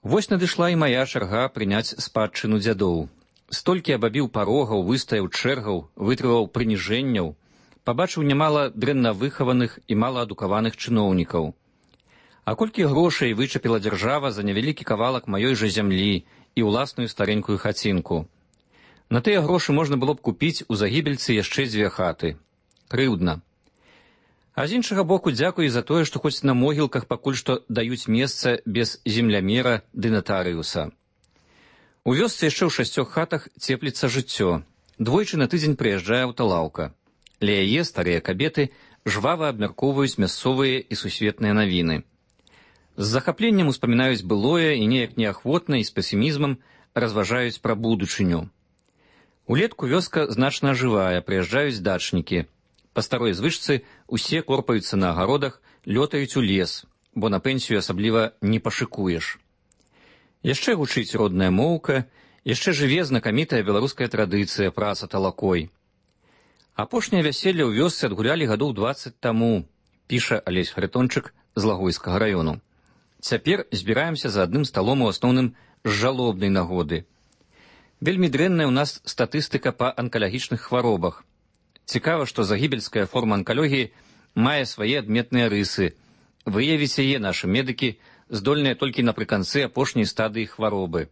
«Вось надышла і мая чарга прыняць спадчыну дзядоў. Столькі абабіў парогаў, выстаяў чэргаў, вытрываў прыніжэнняў, пабачыў нямала дрэнна выхаваных і малаадукаваных чыноўнікаў. А колькі грошай вычапіла дзяржава за невялікі кавалак маёй жа зямлі і ўласную старенькую хацінку. На тыя грошы можна было б купіць у Загібельцы яшчэ дзве хаты. Крыўдна. А з іншага боку, дзякуй за тое, што хоць на могілках пакуль што даюць месца без землямера ды натарыуса. У вёсцы яшчэ ў шасцёх хатах цепліцца жыццё. Двойчы на тыдзень прыязджае аўталаўка. Ля яе старыя кабеты жвава абмяркоўваюць мясцовыя і сусветныя навіны. З захапленнем успамінаюць былое і неяк неахвотна і з песімізмам разважаюць пра будучыню. Улетку вёска значна ажывае, прыязджаюць дачнікі. Па старой звычцы усе корпаюцца на агародах, лётаюць у лес, бо на пенсію асабліва не пашыкуеш. Яшчэ гучыць родная моўка, яшчэ жыве знакамітая беларуская традыцыя праца талакой. Апошняе вяселле ў вёсцы адгулялі гадоў дваццаць таму, піша Алесь Харитончык з Лагойскага раёну. Цяпер збіраемся за адным сталом у асноўным з жалобнай нагоды. Вельмі дрэнная ў нас статыстыка па анкалагічных хваробах. Цікава, што загібельская форма анкалогіі мае свае адметныя рысы. Выявіць яе нашы медыкі здольныя толькі напрыканцы апошняй стадыі хваробы.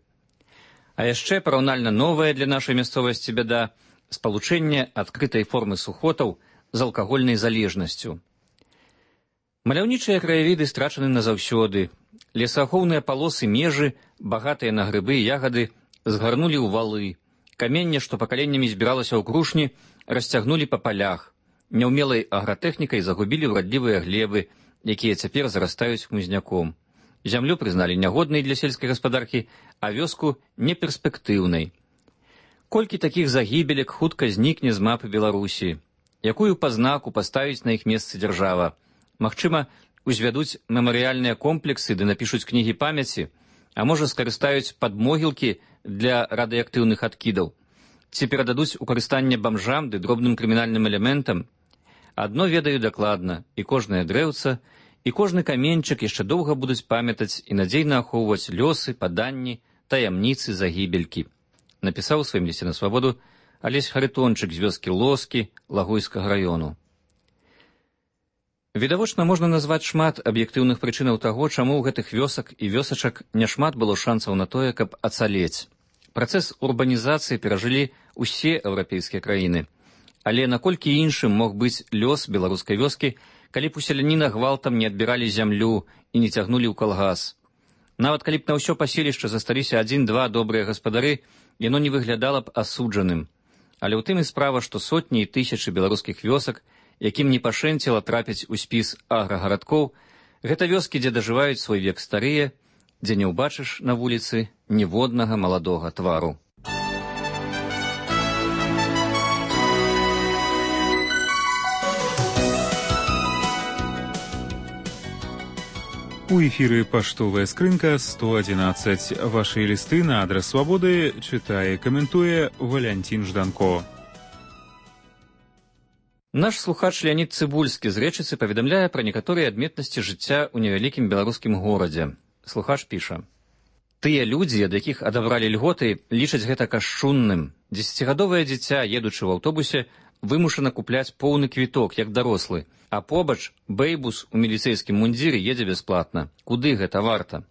А яшчэ параўнальна новая для нашай мясцовасці бяда – спалучэнне адкрытай формы сухотаў з алкагольнай залежнасцю. Маляўнічыя краявіды страчаны назаўсёды. Лесаахоўныя палосы межы, багатыя на грыбы і ягады, згарнулі ў валы. Каменне, што пакаленнямі збіралася ў крушні, расцягнулі па палях. Няўмелай агратэхнікай загубілі ўрадлівыя глебы, якія цяпер зарастаюць хмызняком. Зямлю прызналі нягоднай для сельскай гаспадаркі, а вёску неперспектыўнай. Колькі такіх загібелек хутка знікне з мапы Беларусі? Якую пазнаку паставіць на іх месцы дзяржава? Магчыма, узвядуць мемарыяльныя комплексы ды напішуць кнігі памяці, а можа скарыстаюць падмогілкі для радыеактыўных адкідаў, ці перададуць у карыстанне бамжам ды дробным крымінальным элементам. Адно ведаю дакладна, і кожнае дрэўца, і кожны каменьчык яшчэ доўга будуць памятаць і надзейна ахоўваць лёсы, паданні, таямніцы загібелькі. Напісаў у сваім лісце на свабоду Алесь Харитончык з вёскі Лоскі Лагойскага раёну. Відавочна, можна назваць шмат аб'ектыўных прычынаў таго, чаму ў гэтых вёсак і вёсачак няшмат было шансаў на тое, каб ацалець. Працэс урбанізацыі перажылі ўсе еўрапейскія краіны. Але наколькі іншым мог быць лёс беларускай вёскі, калі б у селяніна гвалтам не адбіралі зямлю і не цягнулі ў калгас. Нават калі б на ўсё паселішча засталіся адзін-два добрыя гаспадары, яно не выглядала б асуджаным. Але ў тым і справа, што сотні і тысячы беларускіх вёсак, якім не пашэнціла трапіць у спіс аграгарадкоў, гэта вёскі, дзе дажываюць свой век старыя, дзе не ўбачыш на вуліцы ніводнага маладога твару. У эфіры паштовая скрынка сто адзінаццаць. Вашы лісты на адрас свабоды чытае, каментуе Валянцін Жданко. Наш слухач Леонід Цыбульскі з Рэчыцы паведамляе пра некаторыя адметнасці жыцця ў невялікім беларускім горадзе. Слухач піша: «Тыя людзі, ад якіх адабралі льготы, лічаць гэта кашчунным. Дзесяцігадовае дзіця, едучы ў аўтобусе, вымушана купляць поўны квіток, як дарослы, а побач бэйбус у міліцэйскім мундзіры едзе бясплатна. Куды гэта варта?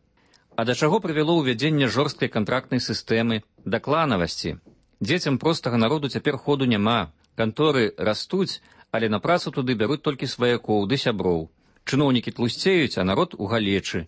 А да чаго прывяло ўвядзенне жорсткай кантрактнай сістэмы, да кланавасці? Дзецям простага народу цяпер ходу няма. Канторы растуць, але на працу туды бяруць толькі сваякоў ды сяброў. Чыноўнікі тлусцеюць, а народ у галечы.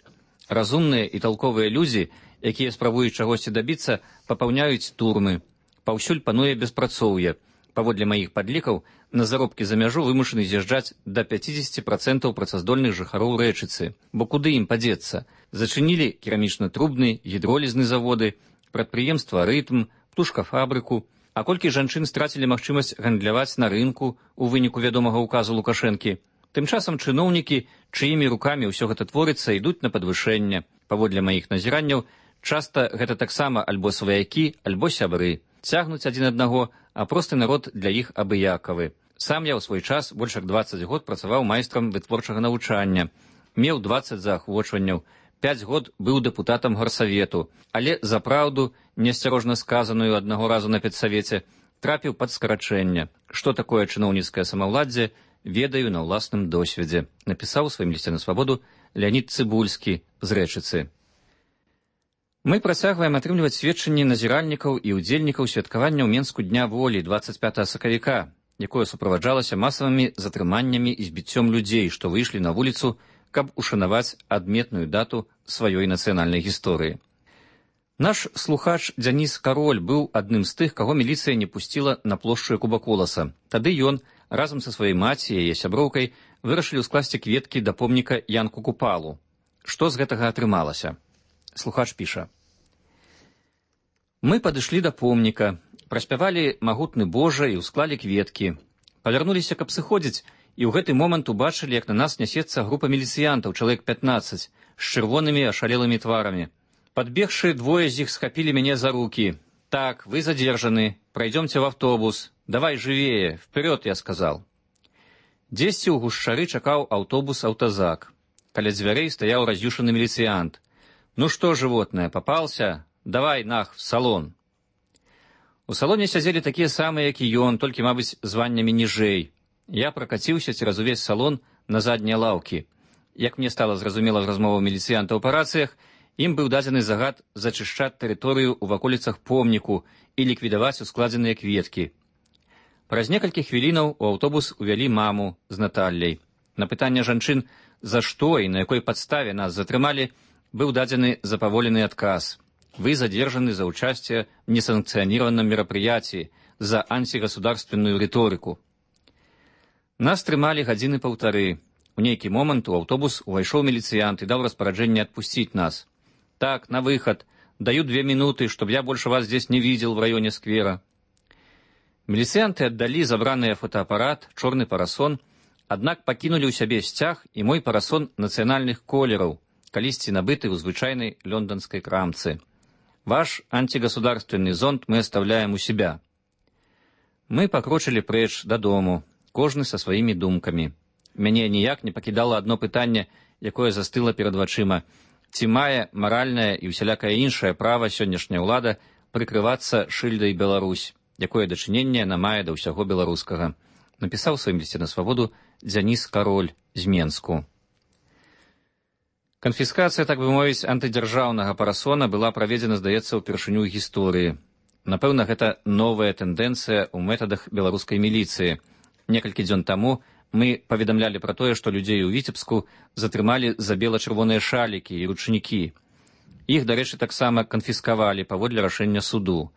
Разумныя і талковыя людзі, якія спрабуюць чагосьці дабіцца, папаўняюць турмы. Паўсюль пануе беспрацоўе. Паводле маіх падлікаў, на заробкі за мяжу вымушаны з'язджаць да пяцьдзесят процентаў працаздольных жыхароў Рэчыцы, бо куды ім падзецца? Зачынілі керамічна-трубны, гідролізны заводы, прадпрыемства «Рытм», птушкафабрыку. А колькі жанчын страцілі магчымасць гандляваць на рынку ў выніку вядомага ўказу Лукашэнкі? Тым часам чыноўнікі, чыімі рукамі ўсё гэта творыцца, ідуць на падвышэнне. Паводле маіх назіранняў, часта гэта таксама альбо сваякі, альбо сябры. Цягнуць адзін аднаго, а просты народ для іх абыякавы. Сам я ў свой час больш як дваццаць год працаваў майстрам вытворчага навучання. Меў дваццаць заахвочванняў. Пяць год быў дэпутатам гарсавету, але за праўду, неасцярожна сказаную аднаго разу на педсавеце, трапіў пад скарачэнне. Што такое чыноўніцкае самаўладдзе, ведаю на ўласным досведзе, напісаў у сваім лісце на свабоду Леонід Цыбульскі з Рэчыцы. Мы працягваем атрымліваць сведчанні назіральнікаў і ўдзельнікаў святкавання ў Менску Дня волі дваццаць пятага сакавіка, якое суправаджалася масавымі затрыманнямі і збіццём людзей, што выйшлі на вуліцу, каб ушанаваць адметную дату сваёй нацыянальнай гісторыі. Наш слухач Дзяніс Кароль быў адным з тых, каго міліцыя не пусціла на плошчу Кубаколаса. Тады ён, разам са сваёй маці і яе сяброўкай, вырашылі скласці кветкі да помніка Янку Купалу. Што з гэтага атрымалася? Слухач піша. Мы падышлі да помніка, праспявалі магутны Божа і ўсклалі кветкі. Павярнуліся, каб сыходзіць, і ў гэты момант убачылі, як на нас нясецца група міліцыянтаў, чалавек пятнаццаць, з чырвонымі ашалелымі тварамі. Падбегшы, двое з іх схапілі мяне за рукі. Так, вы задержаны, пройдемте в автобус. Давай живее, вперед, я сказал. Дзесьці ў гушчары чакаў аўтобус аўтазак. Каля дзвярэй стаяў раз'юшаны міліцыянт. Ну что, животное, попался? Давай, нах, в салон. У салоне сядзелі такія самыя, як і ён, толькі, мабыць, званнямі ніжэй. Я пракаціўся цераз увесь салон на заднія лаўкі. Як мне стала зразумела з размоваў міліцыянтаў па рацыях, ім быў дадзены загад зачышчаць тэрыторыю ў ваколіцах помніку і ліквідаваць ускладзеныя кветкі. Праз некалькі хвілінаў у аўтобус увялі маму з Наталляй. На пытанне жанчын, за што і на якой падставе нас затрымалі, быў дадзены запаволены адказ. Вы задержаны за участие в несанкционированном мероприятии, за антигосударственную риторику. Нас трымалі гадзіны паўтары. У нейкі момант у аўтобус увайшоў міліцыянт і даў распараджэнне адпусціць нас. Так, на выход. Даю две минуты, чтоб я больше вас здесь не видел в районе сквера. Міліцыянты аддалі забраныя фотоапарат, чорны парасон, аднак пакінулі ў сябе сцяг і мой парасон нацыянальных колераў, калісьці набыты ў звычайнай лёнданскай крамцы. Ваш антигосударственный зонт мы оставляем у себя. Мы покрочили прэч дадому, кожны са сваімі думкамі. Мяне ніяк не пакідала адно пытанне, якое застыла перад вачыма. Ці мае маральнае і ўсялякае іншае права сённяшняя ўлада прыкрывацца шыльдай Беларусь, якое дачыненне яна мае да ўсяго беларускага. Напісаў у сваім лісце на свабоду Дзяніс Кароль з Менску. Канфіскацыя, так бы мовіць, антыдзяржаўнага парасона была праведзена, здаецца, упершыню ў гісторыі. Напэўна, гэта новая тэндэнцыя ў метадах беларускай міліцыі. Некалькі дзён таму мы паведамлялі пра тое, што людзей у Віцебску затрымалі за бела-чырвоныя шалікі і ручнікі. Іх, дарэчы, таксама канфіскавалі паводле рашэння суду.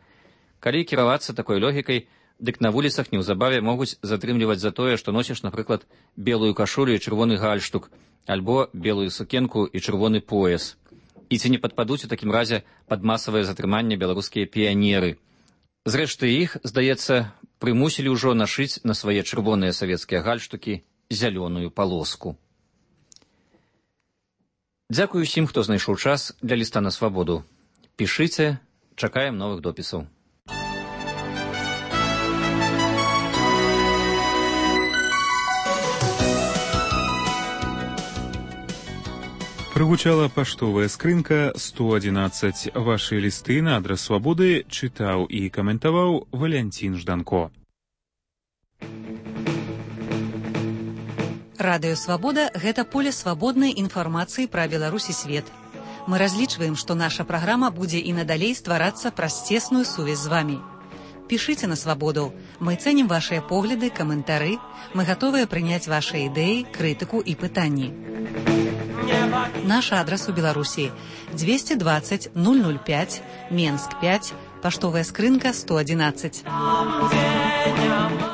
Калі кіравацца такой логікай, дык на вуліцах неўзабаве могуць затрымліваць за тое, што носіш, напрыклад, белую кашулю і чырвоны гальштук, альбо белую сукенку і чырвоны пояс. І ці не падпадуць у такім разе пад масавае затрыманне беларускія піянеры. Зрэшты, іх, здаецца, прымусілі ўжо нашыць на свае чырвоныя савецкія гальштукі зялёную палоску. Дзякую усім, хто знайшоў час для ліста на свабоду. Пішыце, чакаем новых допісаў. Прыгучала паштовая скрынка сто адзінаццаць. Вашы лісты на адрас свабоды чытаў і каментаваў Валянцін Жданко. Радыё Свабода – гэта поле свабоднай інфармацыі пра Беларусь і свет. Мы разлічваем, што наша праграма будзе і надалей стварацца праз цесную сувязь з вамі. Пішыце на свабоду. Мы цэнім вашыя погляды, каментары. Мы гатовыя прыняць вашыя ідэі, крытыку і пытанні. Наш адрас у Беларусі двести двадцать ноль ноль пять, Менск пять, паштовая скрынка сто адзінаццаць.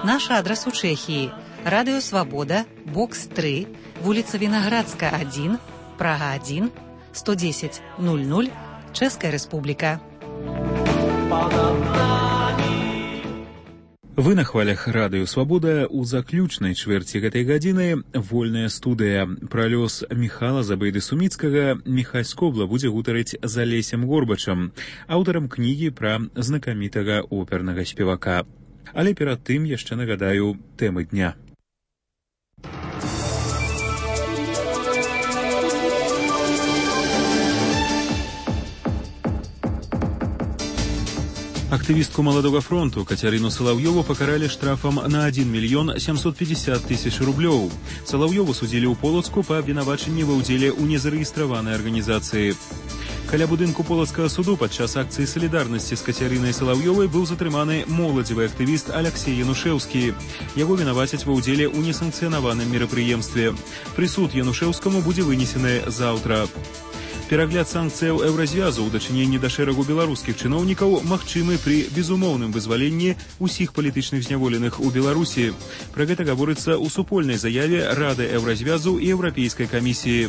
Наш адрес у Чэхіі. Радыё Свабода, бокс тры, вуліца Вінаградска адзін, Прага адзін, сто дзесяць нуль нуль, Чэшская Рэспубліка. Вы на хвалях радыё Свабода. У заключнай чвэрці гэтай гадзіны вольная студыя. Пра лёс Міхала Забейды-Суміцкага Міхась Скобла будзе гутарыць з Алесем Горбачам, аўтарам кнігі пра знакамітага опернага спевака. Але перад тым яшчэ нагадаю тэмы дня. Активистку «Молодого фронту» Катерину Соловьеву покарали штрафом на один миллион семьсот пятьдесят тысяч рублёў. Соловьеву судили у Полацку по обвинаваченню ва ўдзеле ў незарэгістраванай арганізацыі. Каля будынку Полацкага суду падчас акцыі салідарнасці з Кацярынай Салаўёвай быў затрыманы моладзевы актывіст Алексей Янушэўскі. Яго вінавацяць ва ўдзеле ў несанкцыянаваным мерапрыемстве. Прысуд Янушэўскаму будзе вынесены заўтра. Перагляд санкцыяў еўразвязу ў дачыненні да шэрагу беларускіх чыноўнікаў магчымы пры безумоўным вызваленні ўсіх палітычных зняволеных у Беларусі. Пра гэта гаворыцца ў супольнай заяве Рады еўразвязу і Еўрапейскай камісіі.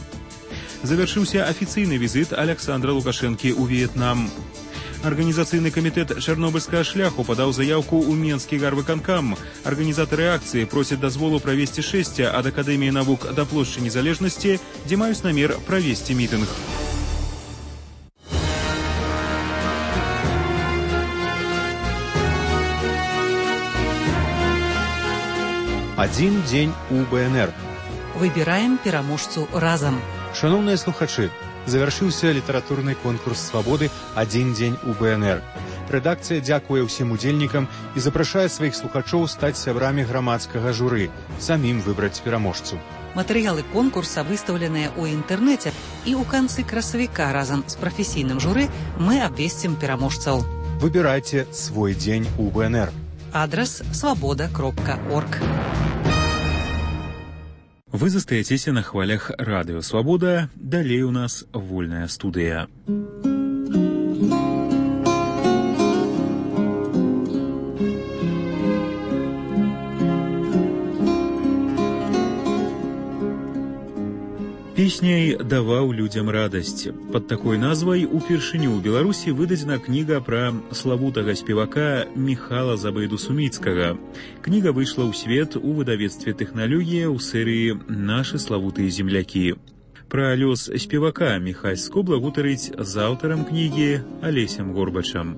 Завяршыўся афіцыйны візіт Александра Лукашэнкі ў В'етнам. Арганізацыйны камітэт чарнобыльскага шляху падаў заяўку ў Менскі гарвыканкам. Арганізатары акцыі просяць дазволу правесці шэсця ад Акадэміі навук да плошчы Незалежнасці, дзе маюць намер правесці мітынг. Адзін дзень у БНР. Выбіраем пераможцу разам. Шановныя слухачы, завяршыўся літаратурны конкурс «Свабоды. Адзін дзень у БНР». Рэдакцыя дзякуе ўсім удзельнікам і запрашае сваіх слухачоў стаць сябрамі грамадскага журы, самім выбраць пераможцу. Матэрыялы конкурса выстаўленыя ў інтэрнэце, і ў канцы красавіка разам з прафесійным журы мы абвесцім пераможцаў. Выбірайце свой дзень у БНР. Адрес свобода кропка орг. Вы застаецеся на хвалях радыё Свабода. Далей у нас вольная студыя. Песняй даваў людзям радасць. Пад такой назвай упершыню ў Беларусі выдадзена кніга пра славутага спевака Міхала Забейду-Суміцкага. Кніга выйшла ў свет у выдавецтве «Тэхналогія» ў серыі «Нашы славутыя землякі». Пра лёс спевака Міхась Скобла гутарыць з аўтарам кнігі Алесем Горбачам.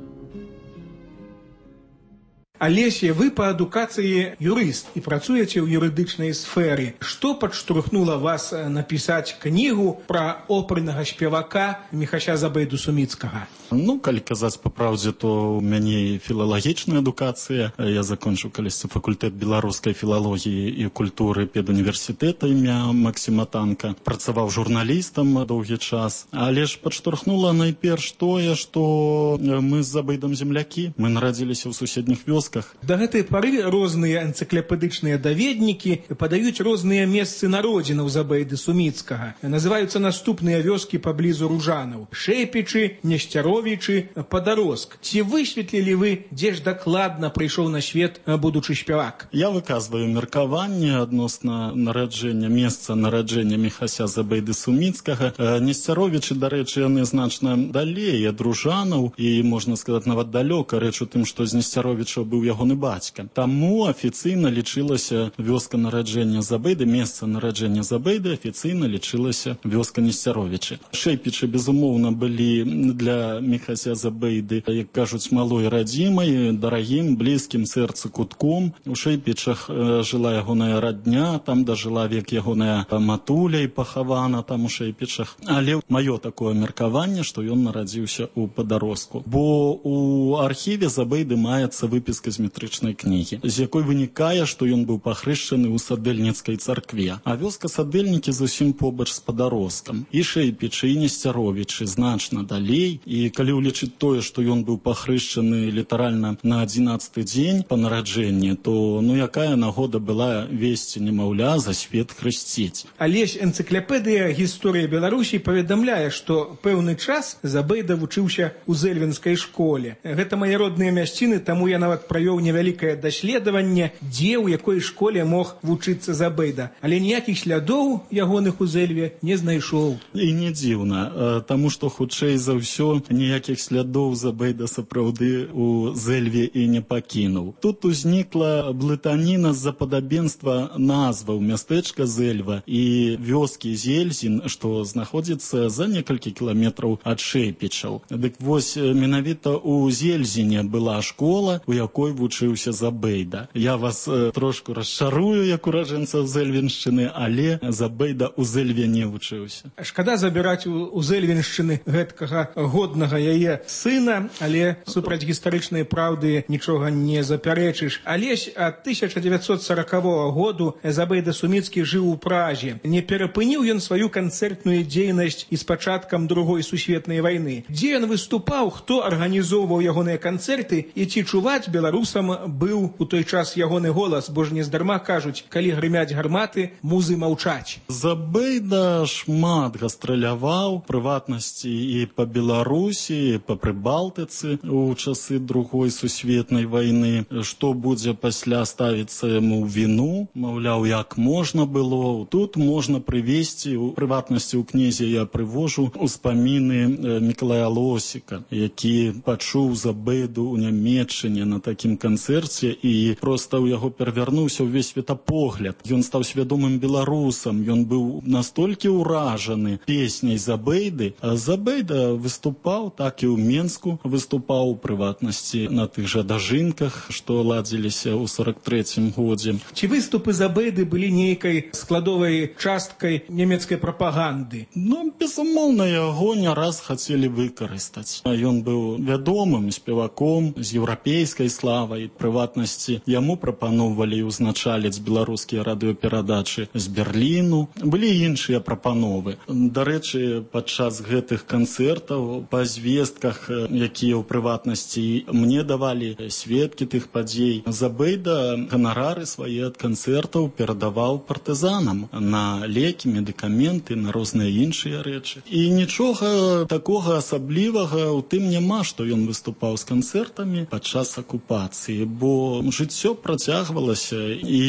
Алеся, вы па адукацыі юрыст і працуеце ў юрыдычнай сферы. Што падштурхнула вас напісаць кнігу пра опернага спевака Міхася Забейду-Суміцкага? Ну, калі казаць па праўдзе, то ў мяне філалагічная адукацыя. Я закончыў калісьці факультэт беларускай філалогіі і культуры педуніверсітэта імя Максіма Танка. Працаваў журналістам доўгі час. Але ж падштурхнула найперш тое, што мы з Забейдам землякі. Мы нарадзіліся ў суседніх вёсках. Да гэтай пары розныя энцыклапедычныя даведнікі падаюць розныя месцы народзінаў Забейды-Суміцкага. Называюцца наступныя вёскі паблізу Ружанаў: Шэпічы, Несцяровічы, Падароск. Ці высветлілі вы, дзе ж дакладна прыйшоў на свет будучы спявак? Я выказваю меркаванне адносна нараджэння, месца нараджэння Міхася Забейды-Суміцкага. Несцяровічы, дарэчы, яны значна далей ад Ружанаў і, можна сказаць, нават далёка. Рэч у тым, што з Несцяровіча быў ягоны бацька. Таму афіцыйна лічылася вёска нараджэння Забейды, месца нараджэння Забейды афіцыйна лічылася вёска Несцяровічы. Шэпічы, безумоўна, былі для Міхася Забейды, як кажуць, малой радзімай, дарагім, блізкім сэрцу кутком. У Шэпічах жыла ягоная радня, там дажыла век ягоная матуля і пахавана там у Шэпічах. Але маё такое меркаванне, што ён нарадзіўся ў Падароску. Бо у архіве Забейды маецца выпіска з метрычнай кнігі, з якой вынікае, што ён быў пахрышчаны ў Садэльніцкай царкве. А вёска Садэльнікі зусім побач з Падароскам. І Шэпічы, і Несцяровічы значна далей. І калі ўлічыць тое, што ён быў пахрышчаны літаральна на адзінаццаты дзень па нараджэнні, то ну якая нагода была весці немаўля за свет хрысціць. Алесь, энцыклапедыя гісторыі Беларусі паведамляе, што пэўны час Забейда вучыўся ў Зэльвенскай школе. Гэта мае родныя мясціны, таму я нават правёў невялікае даследаванне, дзе ў якой школе мог вучыцца Забейда, але ніякіх слядоў ягоных у Зэльве не знайшоў. І не дзіўна, таму што хутчэй за ўсё ніякіх слядоў Забейда сапраўды у Зэльве і не пакінуў. Тут узнікла блытаніна з-за падабенства назваў мястэчка Зэльва і вёскі Зельзін, што знаходзіцца за некалькі кіламетраў ад Шэйпічаў. Дык вось менавіта у Зельзіне была школа, у якой вучыўся Забейда. Я вас э, трошку расчарую, як ураджэнцаў Зэльвеншчыны, але Забейда у Зэльве не вучыўся. Шкада забіраць у, у Зэльвеншчыны гэткага годнага яе сына, але супраць гістарычнай праўды нічога не запярэчыш. Алесь ад тысяча дзевяцьсот саракавога году Забейда Суміцкі жыў у Празе. Не перапыніў ён сваю канцэртную дзейнасць і з пачаткам другой сусветнай вайны. Дзе ён выступаў, хто арганізоўваў ягоныя канцэрты і ці чуваць беларусам быў у той час ягоны голас, бо ж нездарма кажуць, калі грымяць гарматы, музы маўчаць. Забейда шмат гастраляваў, прыватнасці і па Беларусі, і па Прыбалтыцы у часы другой сусветнай вайны. Што будзе пасля ставіцца яму ў віну, маўляў, як можна было. Тут можна прывесці, у прыватнасці ў кнізе я прывожу успаміны Мікалая Лосіка, які пачуў Забейду ў Нямецчыне на такім канцэрце і проста ў яго перавярнуўся ўвесь светапогляд. Ён стаў свядомым беларусам, ён быў настолькі ўражаны песняй Забейды. А Забейда выступаў, так і ў Менску выступаў, у прыватнасці на тых жа дажынках, што ладзіліся ў сорак трэцім годзе. Ці выступы Забейды былі нейкай складовай часткай нямецкай прапаганды? Ну, безумоўна, яго не раз хацелі выкарыстаць. Ён быў вядомым спеваком з еўрапейскай славай, прыватнасці яму прапаноўвалі узначаліць беларускія радыёперадачы з Берліну. Былі іншыя прапановы. Дарэчы, падчас гэтых канцэртаў па звестках, якія ў прыватнасці мне давалі сведкі тых падзей, Забейда ганарары свае ад канцэртаў перадаваў партызанам на лекі, медыкаменты, на розныя іншыя рэчы. І нічога такога асаблівага ў тым няма, што ён выступаў з канцэртамі падчас акупацыі, бо жыццё працягвалася, і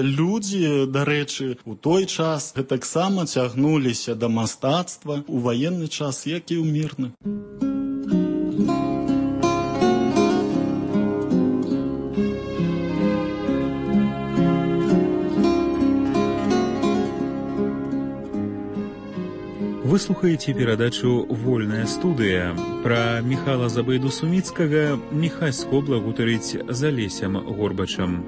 людзі, дарэчы, у той час гэтаксама цягнуліся да мастацтва у ваенны час, як і ў мірны. Вы слухаеце перадачу «Вольная студыя». Пра Міхала Забейду Суміцкага Міхась Скобла гутарыць з Алесем Горбачам.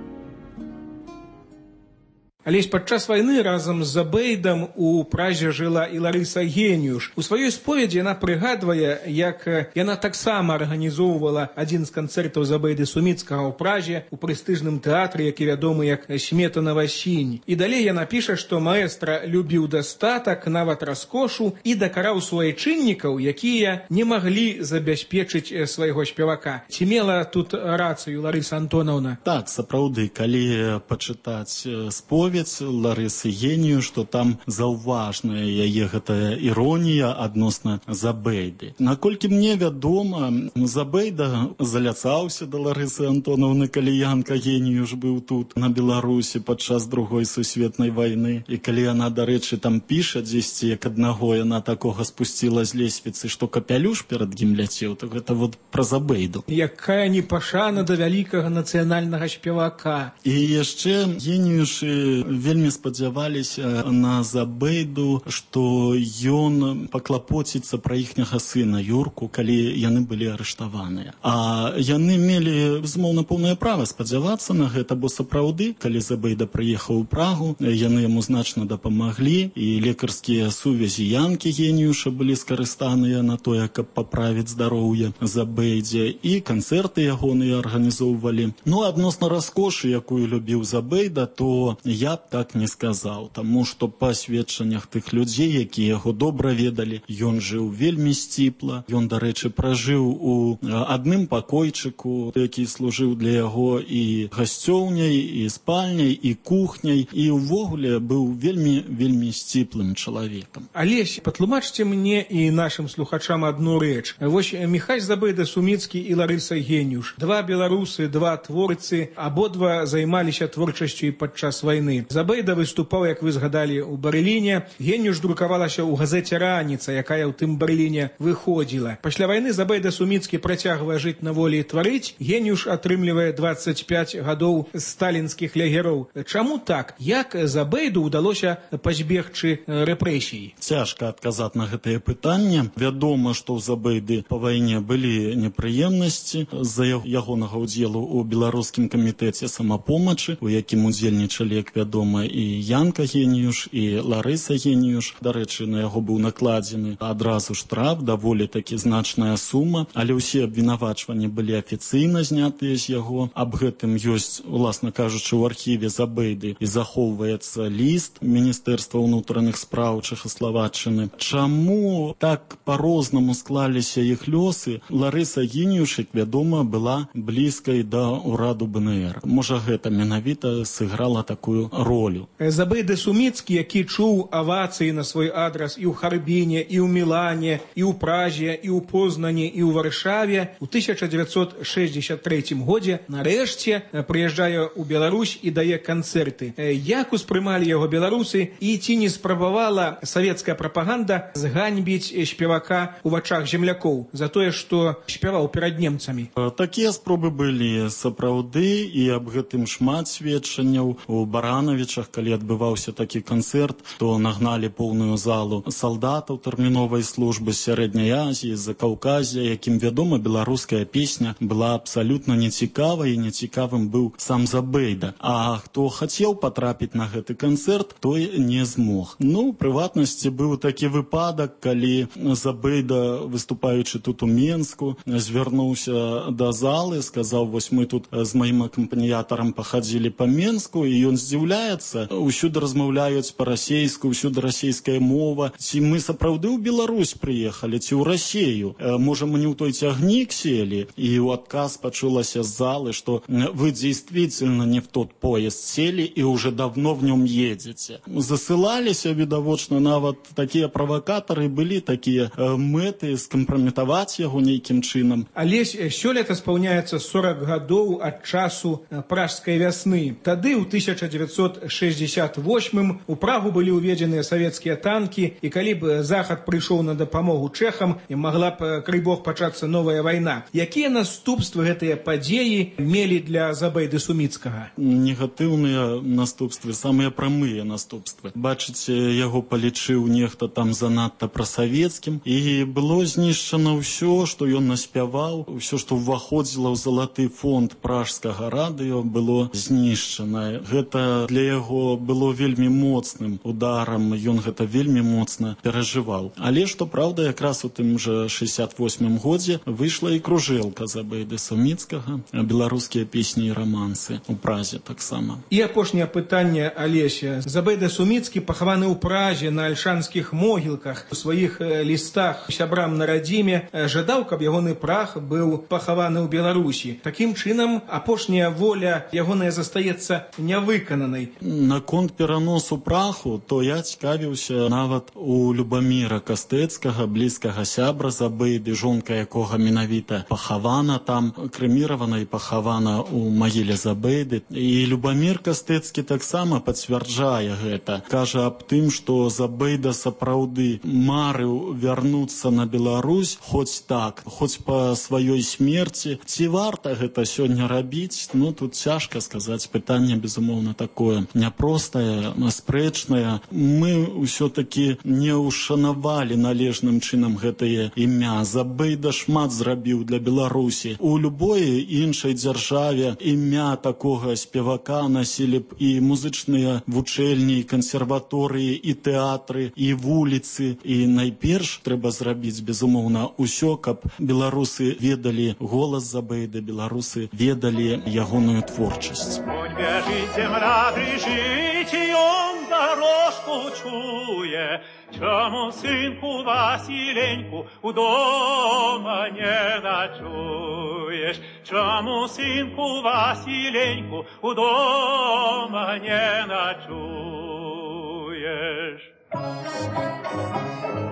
Алесь падчас вайны разам з Забейдам у Празе жыла і Ларыса Геніюш. У сваёй споведзі яна прыгадвае, як яна таксама арганізоўвала адзін з канцэртаў Забейды Суміцкага ў Празе у прэстыжным тэатры, які вядомы як Сметанава сінь. І далей яна піша, што маэстра любіў дастатак, нават раскошу, і дакараў суайчыннікаў, якія не маглі забяспечыць свайго спевака. Ці мела тут рацыю Ларыса Антонаўна? Так, сапраўды, калі пачытаць споведь Ларысы Генію, што там заўважная яе гэтая іронія адносна Забейды. Наколькі мне вядома, Забейда заляцаўся да Ларысы Антонаўны, калі Янка Геніюш быў тут, на Беларусі, падчас другой сусветнай вайны. І калі яна, дарэчы, там піша дзесьці, як аднаго яна такога спусціла з лесвіцы, што капялюш перад ім ляцеў, то гэта вот пра Забейду. Якая непашана да вялікага нацыянальнага спевака. І яшчэ Геніюшы вельмі спадзяваліся на Забейду, што ён паклапоціцца пра іхняга сына Юрку, калі яны былі арыштаваныя. А яны мелі, безумоўна, поўнае права спадзявацца на гэта, бо сапраўды, калі Забейда прыехаў у Прагу, яны яму значна дапамаглі, і лекарскія сувязі Янкі Геніюша былі скарыстаныя на тое, каб паправіць здароўе Забейдзе, і канцэрты ягоныя арганізоўвалі. Ну, адносна раскошы, якую любіў Забейда, то я я б так не сказаў, таму што па сведчаннях тых людзей, якія яго добра ведалі, ён жыў вельмі сціпла. Ён, дарэчы, пражыў у адным пакойчыку, які служыў для яго і гасцёўняй, і спальняй, і кухняй, і ўвогуле быў вельмі вельмі сціплым чалавекам. Алесь, патлумачце мне і нашым слухачам адну рэч. Вось Міхась Забайда-Суміцкі і Ларыса Геніюш. Два беларусы, два творцы, абодва займаліся творчасцю і падчас вайны. Забайда выступаў, як вы згадалі, у Барыліне. Геніюш друкавалася ў газеце «Раніца», якая ў тым Барыліне выходзіла. Пасля вайны Забайда-Суміцкі працягвае жыць на волі і тварыць. Геніюш атрымлівае дваццаць пяць гадоў сталінскіх лягероў. Чаму так? Як Забайду ўдалося пазбегчы рэпрэсій? Цяжка адказаць на гэтае пытанне. Вядома, што ў Забайды па вайне былі непрыемнасці з-за ягонага ўдзелу ў беларускім камітэце самапомачы, у якім удзельнічалі, як вядома, і Янка Геніюш, і Ларыса Геніюш. Дарэчы, на яго быў накладзены адразу штраф, даволі такі значная сума, але ўсе абвінавачванні былі афіцыйна знятыя з яго. Аб гэтым ёсць, уласна кажучы, ў архіве Забайды і захоўваецца ліст Міністэрства ўнутраных спраў Чэхаславаччыны. Чаму так па-рознаму склаліся іх лёсы? Ларыса Геніюш, як вядома, была блізкай да ўраду БНР. Можа, гэта менавіта сыграла такую ролю. Забайда-Суміцкі, які чуў авацыі на свой адрас і ў Харбіне, і ў Мілане, і ў Праже, і ў Познані, і ў Варшаве, у тысяча дзевяцьсот шэсцьдзесят трэцім годзе нарэшце прыязджае ў Беларусь і дае канцэрты. Як успрымалі яго беларусы і ці не спрабавала савецкая прапаганда зганьбіць спевака ў вачах землякоў за тое, што спяваў перад немцамі? Такія спробы былі сапраўды, і аб гэтым шмат сведчанняў. У Баранавічах, калі адбываўся такі канцэрт, то нагналі поўную залу салдатаў тэрміновай службы з Сярэдняй Азіі, з-за Каўказя, якім, вядома, беларуская песня была абсалютна нецікавай, і нецікавым быў сам Забайда. А хто хацеў патрапіць на гэты канцэрт, той не змог. Ну, у прыватнасці быў такі выпадак, калі Забайда, выступаючы тут у Менску, звярнуўся да залы, сказаў: вось мы тут з маім акампаніятарам пахадзілі па Менску, і ён здзіўляецца, усюды размаўляюць па-расейску, усюды расейская мова. Ці мы сапраўды ў Беларусь прыехалі, ці ў Расею? Можа, мы не ў той цягнік селі? І ў адказ пачулася з залы, што вы действительно не в тот поезд сели и уже давно в нем едете. Засылаліся, відавочна, нават такія правакатары, былі такія мэты скампраметаваць яго нейкім чынам. Алесь, сёлета спаўняецца сорок гадоў ад часу пражскай вясны. Тады, ў тысяча дзевяцьсот шэсцьдесят восьмым, у Прагу былі ўведзеныя савецкія танкі, і калі б Захад прыйшоў на дапамогу чэхам, магла б, крый Бог, пачацца новая вайна. Якія наступствы гэтыя падзеі мелі для Забайды-Суміцкага? Негатыўныя наступствы, самыя прамыя наступствы. Бачыце, яго палічыў нехта там занадта прасавецкім, і было знішчана ўсё, што ён наспяваў, ўсё, што ўваходзіла ў залаты фонд пражскага радыё, было знішчана. Гэта для яго было вельмі моцным ударам, ён гэта вельмі моцна перажываў. Але, што праўда, якраз у тым жа шэсцьдесят восьмым годзе выйшла і кружэлка Забайды-Суміцкага, беларускія песні і рамансы у Празе таксама. І апошняе пытанне, Алеся. Забайда-Суміцкі пахаваны ў Празе на альшанскіх могілках. У сваіх лістах сябрам на радзіме жадаў, каб ягоны прах быў пахаваны ў Беларусі. Такім чынам, апошняя воля ягоная застаецца нявыкананай. Наконт пераносу праху, то я цікавіўся нават у Любаміра Кастэцкага, блізкага сябра Забайды, жонка якога менавіта пахавана там, крэміравана і пахавана у магіле Забайды. І Любамір Кастэцкі таксама пацвярджае гэта. Кажа аб тым, што Забайда сапраўды марыў вярнуцца на Беларусь, хоць так, хоць па сваёй смерці. Ці варта гэта сёння рабіць? Ну, тут цяжка сказаць. Пытанне, безумоўна, такое няпростае, спрэчнае. Мы ўсё-такі не ушанавалі належным чынам гэтае імя. Забайда шмат зрабіў для Беларусі. У любой іншай дзяржаве імя такога спевака насілі б і музычныя вучэльні, і кансерваторыі, і тэатры, і вуліцы. І найперш трэба зрабіць, безумоўна, усё, каб беларусы ведалі голас Забайды, беларусы ведалі ягоную творчасць. Бяжыце, браты, добрый житьем дорожку чує, чому синку Василеньку у дома не ночуєш? Чому синку Василеньку у дома не ночуєш?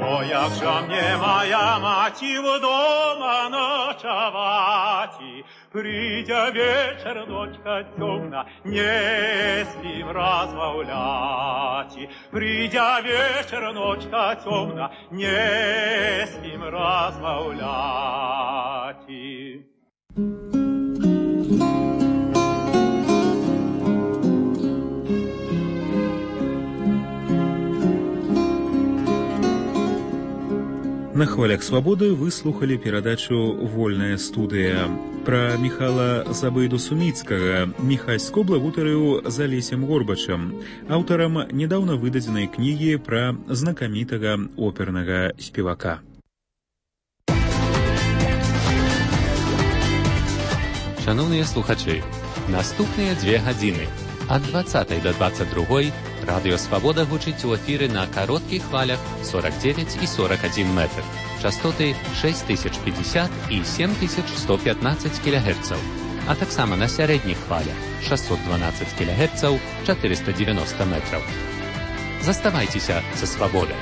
О, як же мне моя маті вдома ночовати, придя вечер, ночка темна, не спим разбавляти. Придя вечер, ночка темна, не спим разбавляти. На хвалях свабоды выслухали перадачу «Вольная студыя». Пра Міхала Забайду-Суміцкага Міхась Скобла гутарыў з Алесем Горбачам, аўтарам нядаўна выдадзенай кнігі пра знакамітага опернага спевака. Шановныя слухачы, наступныя дзве гадзіны ад дваццатай да дваццаць другой радыё Свабода гучыць у эфіры на кароткіх хвалях сорок девять і сорок один метр, частоты шесть тысяч пятьдесят і семь тысяч сто пятнадцать кілогерцаў, а таксама на сярэдніх хвалях шестьсот двенадцать кілогерцаў, четыреста девяносто метров. Заставайцеся са Свабодай.